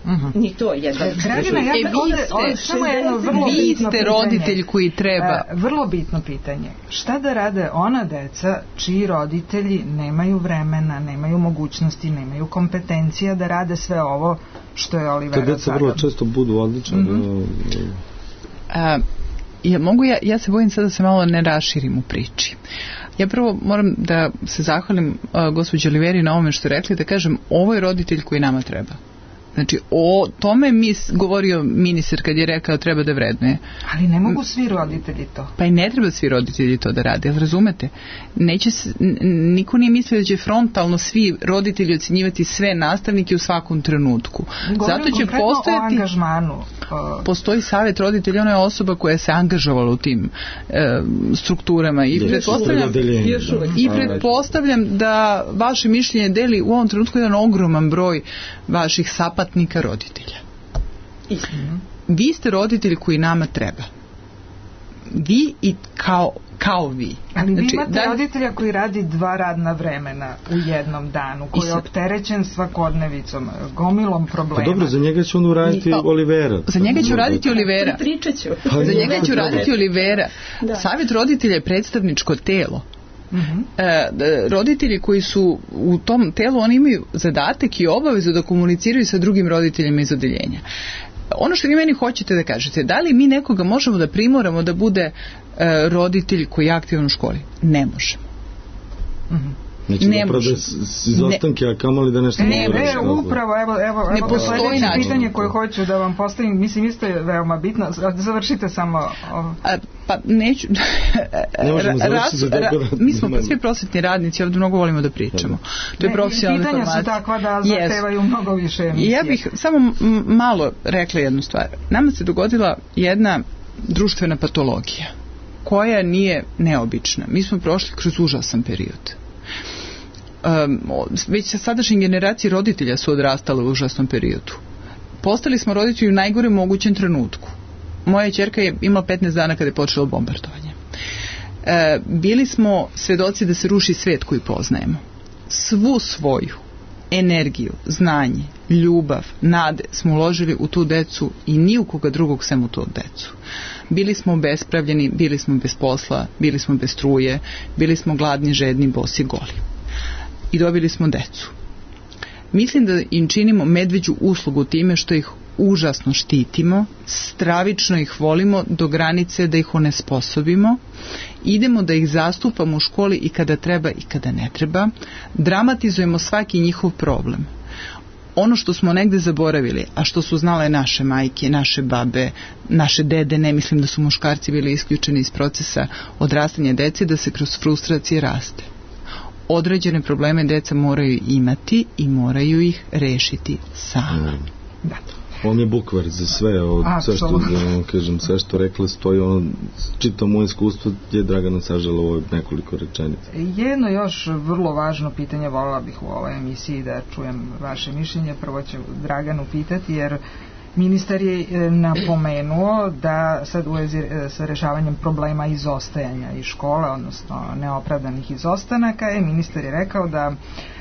Uh-huh. Ni to jedan. Dragana, ja e, ovde, ovde, samo jedno vrlo vi bitno ste pitanje. Roditelj koji treba. E, vrlo bitno pitanje. Šta da rade ona deca čiji roditelji nemaju vremena, nemaju mogućnosti, nemaju kompetencija da rade sve ovo što je Olivera sada? Te deca vrlo često budu odlične. Mm-hmm. A, ja, mogu ja, ja se bojim sada da se malo ne raširim u priči. Ja prvo moram da se zahvalim uh, gospođi Oliveri na ovome što je rekli, da kažem, ovo je roditelj koji nama treba. Znači, o tome mi govorio ministar kad je rekao treba da vrednuje. Ali ne mogu svi roditelji to. Pa i ne treba svi roditelji to da rade, ali razumete? Neće, niko nije mislio da će frontalno svi roditelji ocenjivati sve nastavnike u svakom trenutku. Govorim zato će postojati, o angažmanu. Postoji savjet roditelja, ona je osoba koja se angažovala u tim e, strukturama i pretpostavljam, i pretpostavljam da vaše mišljenje deli u ovom trenutku jedan ogroman broj vaših sapatnika roditelja. Istina. Vi ste roditelji koji nama treba. Vi i kao, kao vi. Ali znači, vi imate da... roditelja koji radi dva radna vremena u jednom danu, koji je opterećen svakodnevicom, gomilom problema. Pa dobro, za njega će on uraditi pa, Olivera. Za njega će uraditi Olivera. Pričat ću. Pa, za njega će uraditi Olivera. Da. Savjet roditelja je predstavničko telo. Uh-huh. E, roditelji koji su u tom telu, oni imaju zadatak i obavezu da komuniciraju sa drugim roditeljima iz odeljenja. Ono što vi meni hoćete da kažete, da li mi nekoga možemo da primoramo da bude e, roditelj koji je aktivan u školi? Ne možemo. Uh-huh. Neće ne da pravda izostanke, a kamoli da nešto... Ne, ne, upravo, evo, evo, ne evo postoji način. Pitanje koje hoću da vam postavim, mislim, isto je veoma bitno, završite samo... A, pa neću... ne možemo završiti da ra, mi smo svi prosvetni radnici, ovdje mnogo volimo da pričamo. To je profesionalna pitanja informacija. Pitanja su takva da zahtevaju yes. mnogo više emisije. Ja bih samo malo rekla jednu stvar. Nama se dogodila jedna društvena patologija koja nije neobična. Mi smo prošli kroz užasan period. Um, već sa sadašnje generacije roditelja su odrastale u užasnom periodu. Postali smo roditelji u najgorem mogućem trenutku. Moja ćerka je imala petnaest dana kada je počelo bombardovanje. E, bili smo svedoci da se ruši svet koji poznajemo. Svu svoju energiju, znanje, ljubav, nade smo uložili u tu decu i ni u koga drugog sem u tu decu. Bili smo obespravljeni, bili smo bez posla, bili smo bez struje, bili smo gladni, žedni, bosi, goli. I dobili smo decu. Mislim da im činimo medveđu uslugu time što ih užasno štitimo, stravično ih volimo do granice da ih onesposobimo, idemo da ih zastupamo u školi i kada treba i kada ne treba, dramatizujemo svaki njihov problem. Ono što smo negde zaboravili, a što su znale naše majke, naše babe, naše dede, ne mislim da su muškarci bili isključeni iz procesa odrastanja dece, da se kroz frustracije raste. Određene probleme deca moraju imati i moraju ih rešiti sama. Da. On je bukvar za sve, o, sve što da, kažem, sve što rekla stoji, ono, čito moje iskustvo je Dragana sažela ovo nekoliko rečenica. Jedno još vrlo važno pitanje voljela bih u ovoj emisiji da čujem vaše mišljenje. Prvo ću Draganu pitati, jer Ministar je napomenuo da sad u vezi sa rešavanjem problema izostajanja iz škole, odnosno neopravdanih izostanaka, je ministar je rekao da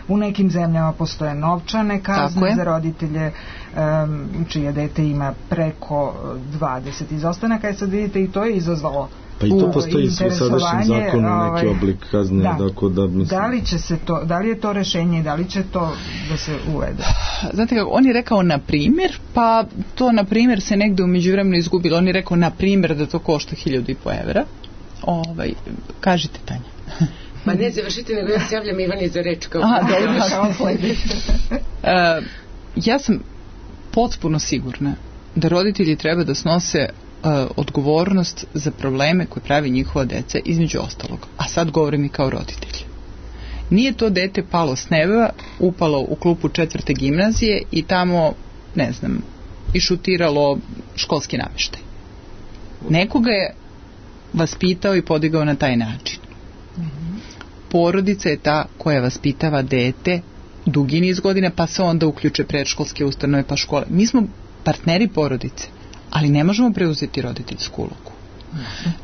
u nekim zemljama postoje novčane kazne za roditelje um, čije dete ima preko dvadeset izostanaka. I sad vidite, i to je izazvalo pa i to postoji u sadašnjem zakonu neki oblik kazne. Da. Dakle, da, mislim... da li će se to, da li je to rešenje, da li će to da se uvede? Znate kako, on je rekao na primjer, pa to na primjer se negde u međuvremenu izgubilo. On je rekao na primjer da to košta hiljadu i po evra. Ovaj, kažite, Tanja. Pa ne završite, nego ja se javljam Ivani za reč kao... Aha, dobro, uh, ja sam potpuno sigurna da roditelji treba da snose uh, odgovornost za probleme koje pravi njihova deca, između ostalog. A sad govorim i kao roditelj. Nije to dete palo s neba, upalo u klupu četvrte gimnazije i tamo, ne znam, išutiralo školski namještaj. Nekoga je vaspitao i podigao na taj način. Porodica je ta koja vaspitava dete dugi niz godina, pa se onda uključe predškolske ustanove pa škole. Mi smo partneri porodice, ali ne možemo preuzeti roditeljsku ulogu.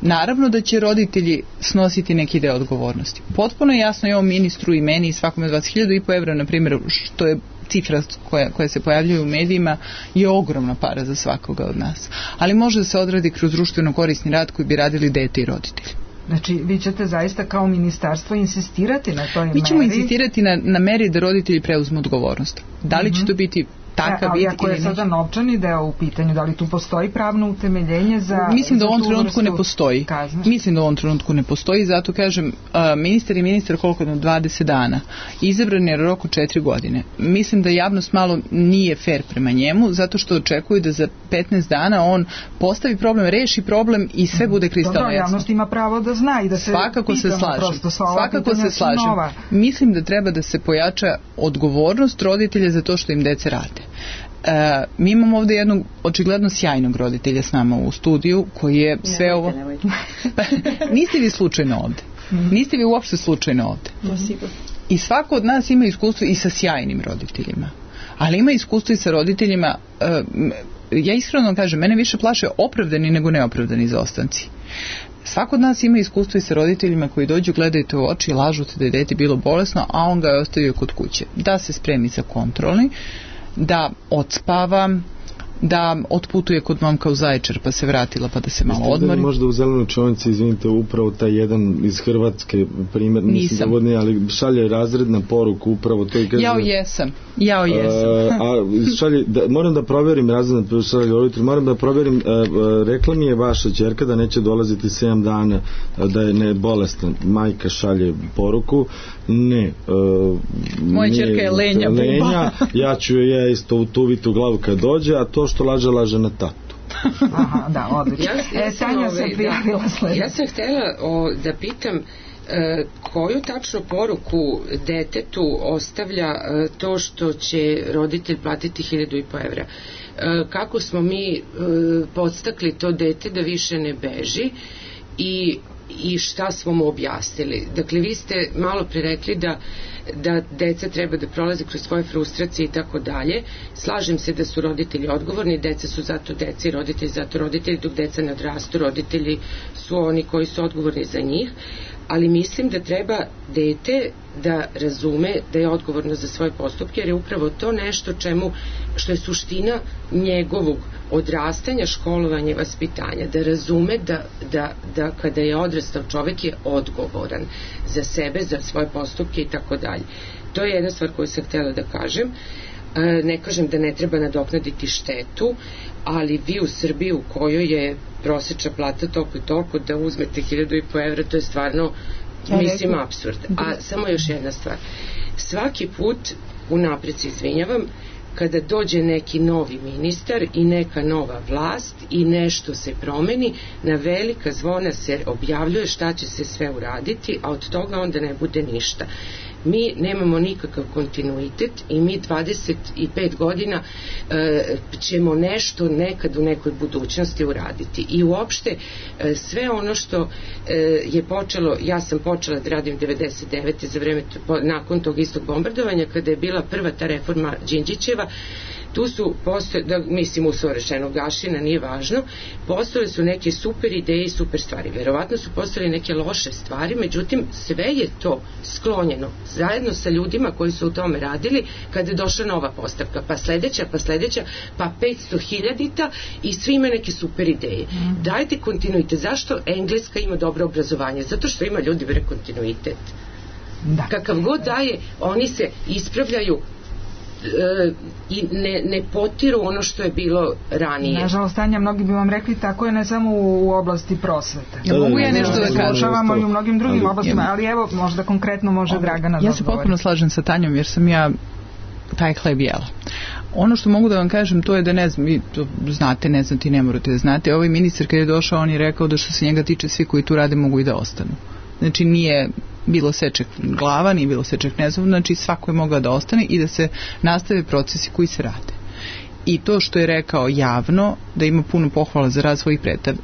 Naravno da će roditelji snositi neki deo odgovornosti. Potpuno je jasno i ovom ministru i meni i svakom od vas, hiljadu i po evra, na primjer, što je cifra koja, koja se pojavljuje u medijima, je ogromna para za svakoga od nas. Ali može da se odradi kroz društveno korisni rad koji bi radili dete i roditelji. Znači, vi ćete zaista kao ministarstvo insistirati na toj meri? Mi ćemo insistirati na, na meri da roditelji preuzmu odgovornost. Da li će to biti takav vid ili ako je sada novčani deo u pitanju, da li tu postoji pravno utemeljenje za... Mislim da u ovom trenutku ne postoji. Kazne? Mislim da u ovom trenutku ne postoji, zato kažem, ministar i ministar koliko na dvadeset dana, izabran je rok od četiri godine. Mislim da javnost malo nije fair prema njemu, zato što očekuju da za petnaest dana on postavi problem, reši problem i sve bude kristalno jasno. Dobro, javnost ima pravo da zna i da se svakako pitamo, se slažem. prosto sva ova svakako se slažem. Nova. Mislim da treba da se pojača odgovornost roditelja za to što im dece rade. E, mi imamo ovdje jednog očigledno sjajnog roditelja s nama u studiju koji je sve ne, ovo nemojte. Niste vi slučajno ovdje, niste vi uopšte slučajno ovdje. Mm-hmm. I svako od nas ima iskustvo i sa sjajnim roditeljima, ali ima iskustvo i sa roditeljima, e, ja iskreno kažem, mene više plaše opravdani nego neopravdani izostanci. Svako od nas ima iskustvo i sa roditeljima koji dođu, gledaju te u oči i lažu te da je dete bilo bolesno, a on ga je ostavio kod kuće. Da se spremi za kontrolni, da odspava, da otputuje kod momka u Zaječar pa se vratila pa da se malo odmori. Možda u Zelenoj čovnici, izvinite, upravo taj jedan iz Hrvatske primjer, nisam dovodni, ali šalje razredna poruku upravo to i kaže... Jao jesam, jao jesam. A, a šalje, da, moram da provjerim razredna šalje roditelj, moram da provjerim, a, a, rekla mi je vaša ćerka da neće dolaziti sedam dana, a, da je ne bolesna. Majka šalje poruku, ne. A, moja ćerka je lenja, lenja ja ću je isto utuviti u glavu kad dođe, a to što laže, laže na tatu. Aha, da, odlično. Ja, ja, e, Tanja sam prijavila da, sljedeće. Ja sam htjela o, da pitam e, koju tačno poruku detetu ostavlja e, to što će roditelj platiti hiljadu i po evra. E, kako smo mi e, podstakli to dete da više ne beži i i šta smo mu objasnili. Dakle, vi ste malo pre rekli da, da deca treba da prolaze kroz svoje frustracije i tako dalje. Slažem se da su roditelji odgovorni, deca su zato deca i roditelji zato roditelji, dok deca ne odrastu, roditelji su oni koji su odgovorni za njih, ali mislim da treba dete da razume da je odgovorno za svoje postupke, jer je upravo to nešto čemu, što je suština njegovog odrastanja, školovanja i vaspitanja, da razume da, da, da kada je odrastao čovek je odgovoran za sebe, za svoje postupke i tako dalje. To je jedna stvar koju sam htjela da kažem. Ne kažem da ne treba nadoknaditi štetu, ali vi u Srbiji u kojoj je prosječna plata toliko i toliko da uzmete hiljadu i po evra, to je stvarno, ja mislim, apsurd. A samo još jedna stvar. Svaki put, unapred se izvinjavam, kada dođe neki novi ministar i neka nova vlast i nešto se promeni, na velika zvona se objavljuje šta će se sve uraditi, a od toga onda ne bude ništa. Mi nemamo nikakav kontinuitet i mi dvadeset pet godina e, ćemo nešto nekad u nekoj budućnosti uraditi. I uopšte e, sve ono što e, je počelo, ja sam počela da radim devedeset devete za vreme, nakon tog istog bombardovanja, kada je bila prva ta reforma Đinđićeva, tu su postoje, da, mislim uslovno rečeno gašina, nije važno, postojale su neke super ideje i super stvari. Verovatno su postojale neke loše stvari, međutim sve je to sklonjeno zajedno sa ljudima koji su u tome radili kada je došla nova postavka, pa sledeća, pa sledeća, pa petsto hiljadita i svi imaju neke super ideje. Mm. Dajte kontinuitet. Zašto Engleska ima dobro obrazovanje? Zato što ima ljudi bre kontinuitet. Da. Kakav god daje, oni se ispravljaju e, i ne, ne potiru ono što je bilo ranije. Nažalost, Tanja, mnogi bi vam rekli tako je ne samo u, u oblasti prosvete. Ja mogu ja nešto da kažem. Slušavamo i u mnogim drugim ali, oblastima, ali evo, možda konkretno može Dragana da ja se potpuno slažem sa Tanjom, jer sam ja taj hleb jela. Ono što mogu da vam kažem, to je da ne znam, vi to znate, ne znate i ne morate da znate. Ovaj ministar kad je došao, on je rekao da što se njega tiče, svi koji tu rade mogu i da ostanu. Znači nije bilo seček glava, nije bilo seček ne znam, znači svako je mogao da ostane i da se nastave procesi koji se rade. I to što je rekao javno, da ima puno pohvala za rad svojih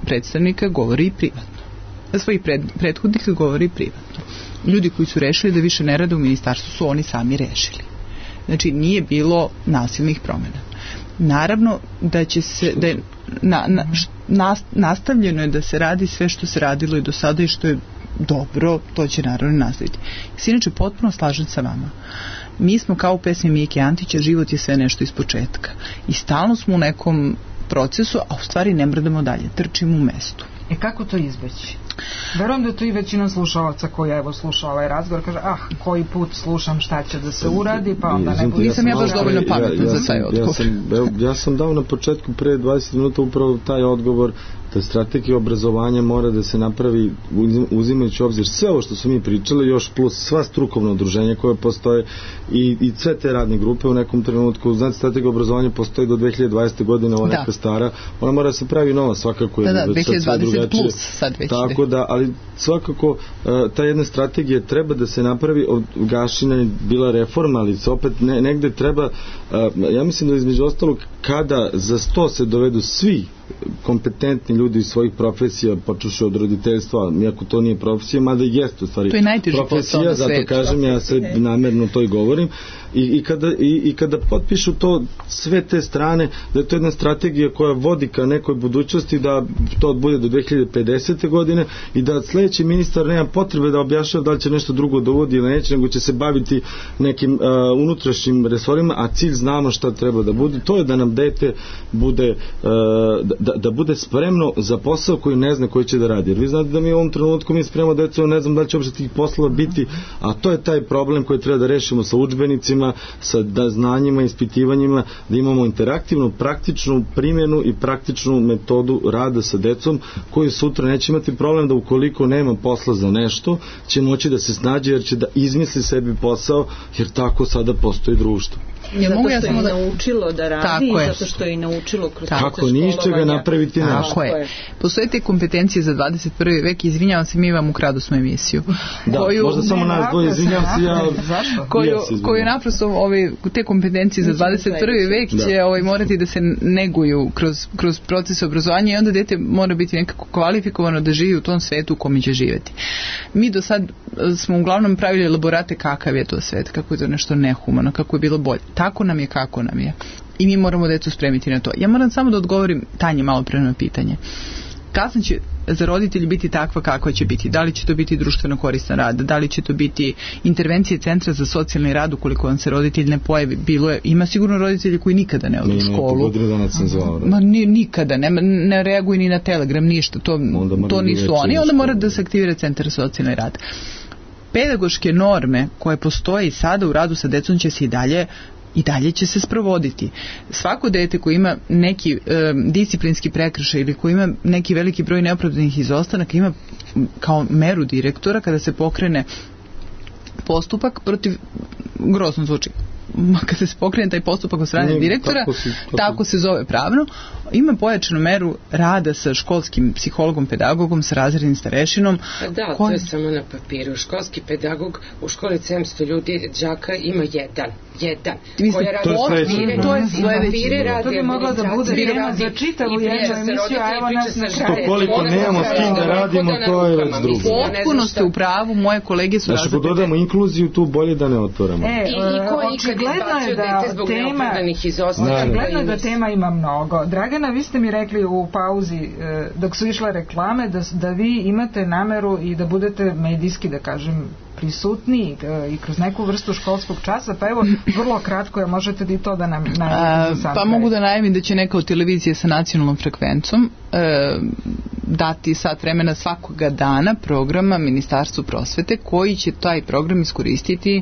predstavnika, govori i privatno. Da svojih pred, prethodnika govori i privatno. Ljudi koji su rešili da više ne rade u ministarstvu su oni sami rešili. Znači nije bilo nasilnih promjena. Naravno da će se da je na, na, na, nastavljeno je da se radi sve što se radilo i do sada i što je dobro, to će naravno nastaviti. Inače, potpuno slažem sa vama. Mi smo kao u pesmi Mike Antića, život je sve nešto iz početka. I stalno smo u nekom procesu, a u stvari ne mrdamo dalje, trčimo u mestu. E kako to izbeći? Verujem da to i većina slušalaca koja evo sluša ovaj razgovor kaže, ah, koji put slušam šta će da se uradi, pa onda ne bude. Nisam ja baš dovoljno pametna za taj odgovor. Ja sam, evo, ja sam dao na početku pre dvadeset minuta upravo taj odgovor da strategija obrazovanja mora da se napravi uzimajući obzir sve ovo što su mi pričali, još plus sva strukovna udruženja koje postoje i, i sve te radne grupe u nekom trenutku. Znate, strategija obrazovanja postoji do dve hiljade dvadesete. godine, ona neka stara, ona mora da se pravi nova, svakako je da, da, dve hiljade dvadeset plus sad već. Tako da, ali svakako uh, ta jedna strategija treba da se napravi. Od Gašina je bila reforma, ali se opet ne, negde treba, uh, ja mislim da između ostalog kada za sto se dovedu svi kompetentni ljudi iz svojih profesija, počuši od roditeljstva, iako to nije profesija, mada i jeste u stvari to je profesija, zato svet, kažem, ja se namerno to i govorim. I, i, kada, i, i kada potpišu to sve te strane, da je to jedna strategija koja vodi ka nekoj budućnosti, da to bude do dve hiljade pedesete. godine i da sledeći ministar nema potrebe da objašnjava da li će nešto drugo da uvodi ili neće, nego će se baviti nekim uh, unutrašnjim resorima, a cilj znamo šta treba da bude. To je da nam dete bude uh, da, da bude spremno za posao koji ne zna koji će da radi. Jer vi znate da mi u ovom trenutku mi spremamo decu, ne znam da li će uopšte tih poslova biti, a to je taj problem koji treba da rešimo sa udžbenicima, sa da znanjima, ispitivanjima, da imamo interaktivnu, praktičnu primjenu i praktičnu metodu rada sa decom, koji sutra neće imati problem da ukoliko nema posla za nešto, će moći da se snađe jer će da izmisli sebi posao, jer tako sada postoji društvo. Ja zato što ja je da... naučilo da radi i zato što je naučilo kroz proces kako ničega napraviti nešto. Tako je. Postoje te kompetencije za dvadeset prvi vek, izvinjavam se, mi vam ukradu smo emisiju. Da, koju, možda samo nas dvoje, izvinjavam se ja. Koju, koju naprosto ove, te kompetencije za dvadeset prvi vek će da. ovaj, morati da se neguju kroz, kroz proces obrazovanja i onda dete mora biti nekako kvalifikovano da živi u tom svetu u kome će živjeti. Mi do sad smo uglavnom pravili elaborate kakav je to svet, kako je to nešto nehumano, kako je bilo bolje. Tako nam je, kako nam je. I mi moramo decu spremiti na to. Ja moram samo da odgovorim Tanji malo pre na pitanje. Kazna će za roditelji biti takva kakva će biti. Da li će to biti društveno koristan rad, da li će to biti intervencije centra za socijalni rad ukoliko vam se roditelj ne pojavi. Bilo je, ima sigurno roditelji koji nikada ne odu u školu. Ma ni, nikada, ne, ne reaguju ni na telegram, ništa. To, to nisu oni. Onda mora da se aktivira centar za socijalni rad. Pedagoške norme koje postoje i sada u radu sa decom će se i dalje i dalje će se sprovoditi. Svako dete koji ima neki e, disciplinski prekršaj ili koji ima neki veliki broj neopravdanih izostanaka ima kao meru direktora kada se pokrene postupak protiv, grozno zvuči, kada se pokrene taj postupak od strane direktora, tako, si, tako. tako se zove pravno, ima pojačanu meru rada sa školskim psihologom, pedagogom, sa razrednim starešinom. Da, koji... to je samo na papiru. Školski pedagog u školi sedamsto ljudi, đaka ima jedan. Jedan. Koja radi to je sledeće. To je sledeće. To bi mogla da bude jedna za čitavu jednu emisiju, a evo nas na kraju. Koliko nemamo s kim da radimo, to je već drugo. Potpuno ste u pravu, moje kolege su razredne. Znači, ako dodamo inkluziju, tu bolje da ne otvoramo. E, I, i, ko, i kad Očigledno je da tema, očigledno je da tema ima mnogo. Dragana, vi ste mi rekli u pauzi dok su išle reklame da, da vi imate nameru i da budete medijski, da kažem, prisutni i kroz neku vrstu školskog časa, pa evo, vrlo kratko je, možete li to da nam najavite za sam Pa kraj? Mogu da najavim da će neka od televizije sa nacionalnom frekvencom e, dati sat vremena svakoga dana programa Ministarstvu prosvete, koji će taj program iskoristiti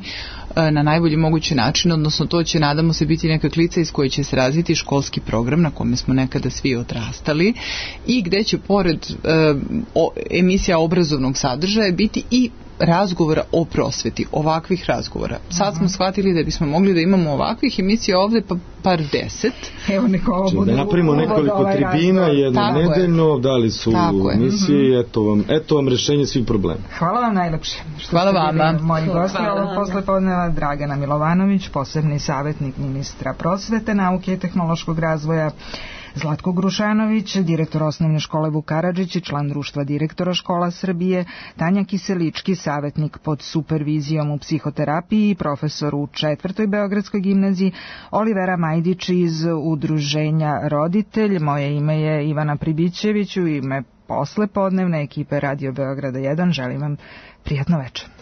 e, na najbolji mogući način, odnosno to će, nadamo se, biti neka klica iz koje će se razviti školski program na kome smo nekada svi odrastali i gde će pored e, o, emisija obrazovnog sadržaja biti i razgovora o prosveti, ovakvih razgovora. Sad smo shvatili da bismo mogli da imamo ovakvih emisija ovde pa par deset. Evo Nikola, bude da napravimo nekoliko tribina, jedno nedeljno, dali su emisije, eto vam, eto vam rešenje svih problema. Hvala vam najlepše. Hvala vama. Moji gosti ovog poslepodneva Dragana Milovanović, posebni savjetnik ministra prosvete, nauke i tehnološkog razvoja, Zlatko Grušanović, direktor osnovne škole Vuk Karadžić i član društva direktora škola Srbije, Tanja Kiselički, savjetnik pod supervizijom u psihoterapiji, profesor u četvrtoj Beogradskoj gimnaziji, Olivera Majdić iz udruženja Roditelj. Moje ime je Ivana Pribićević, u ime poslepodnevne ekipe Radio Beograda jedan. Želim vam prijatno večer.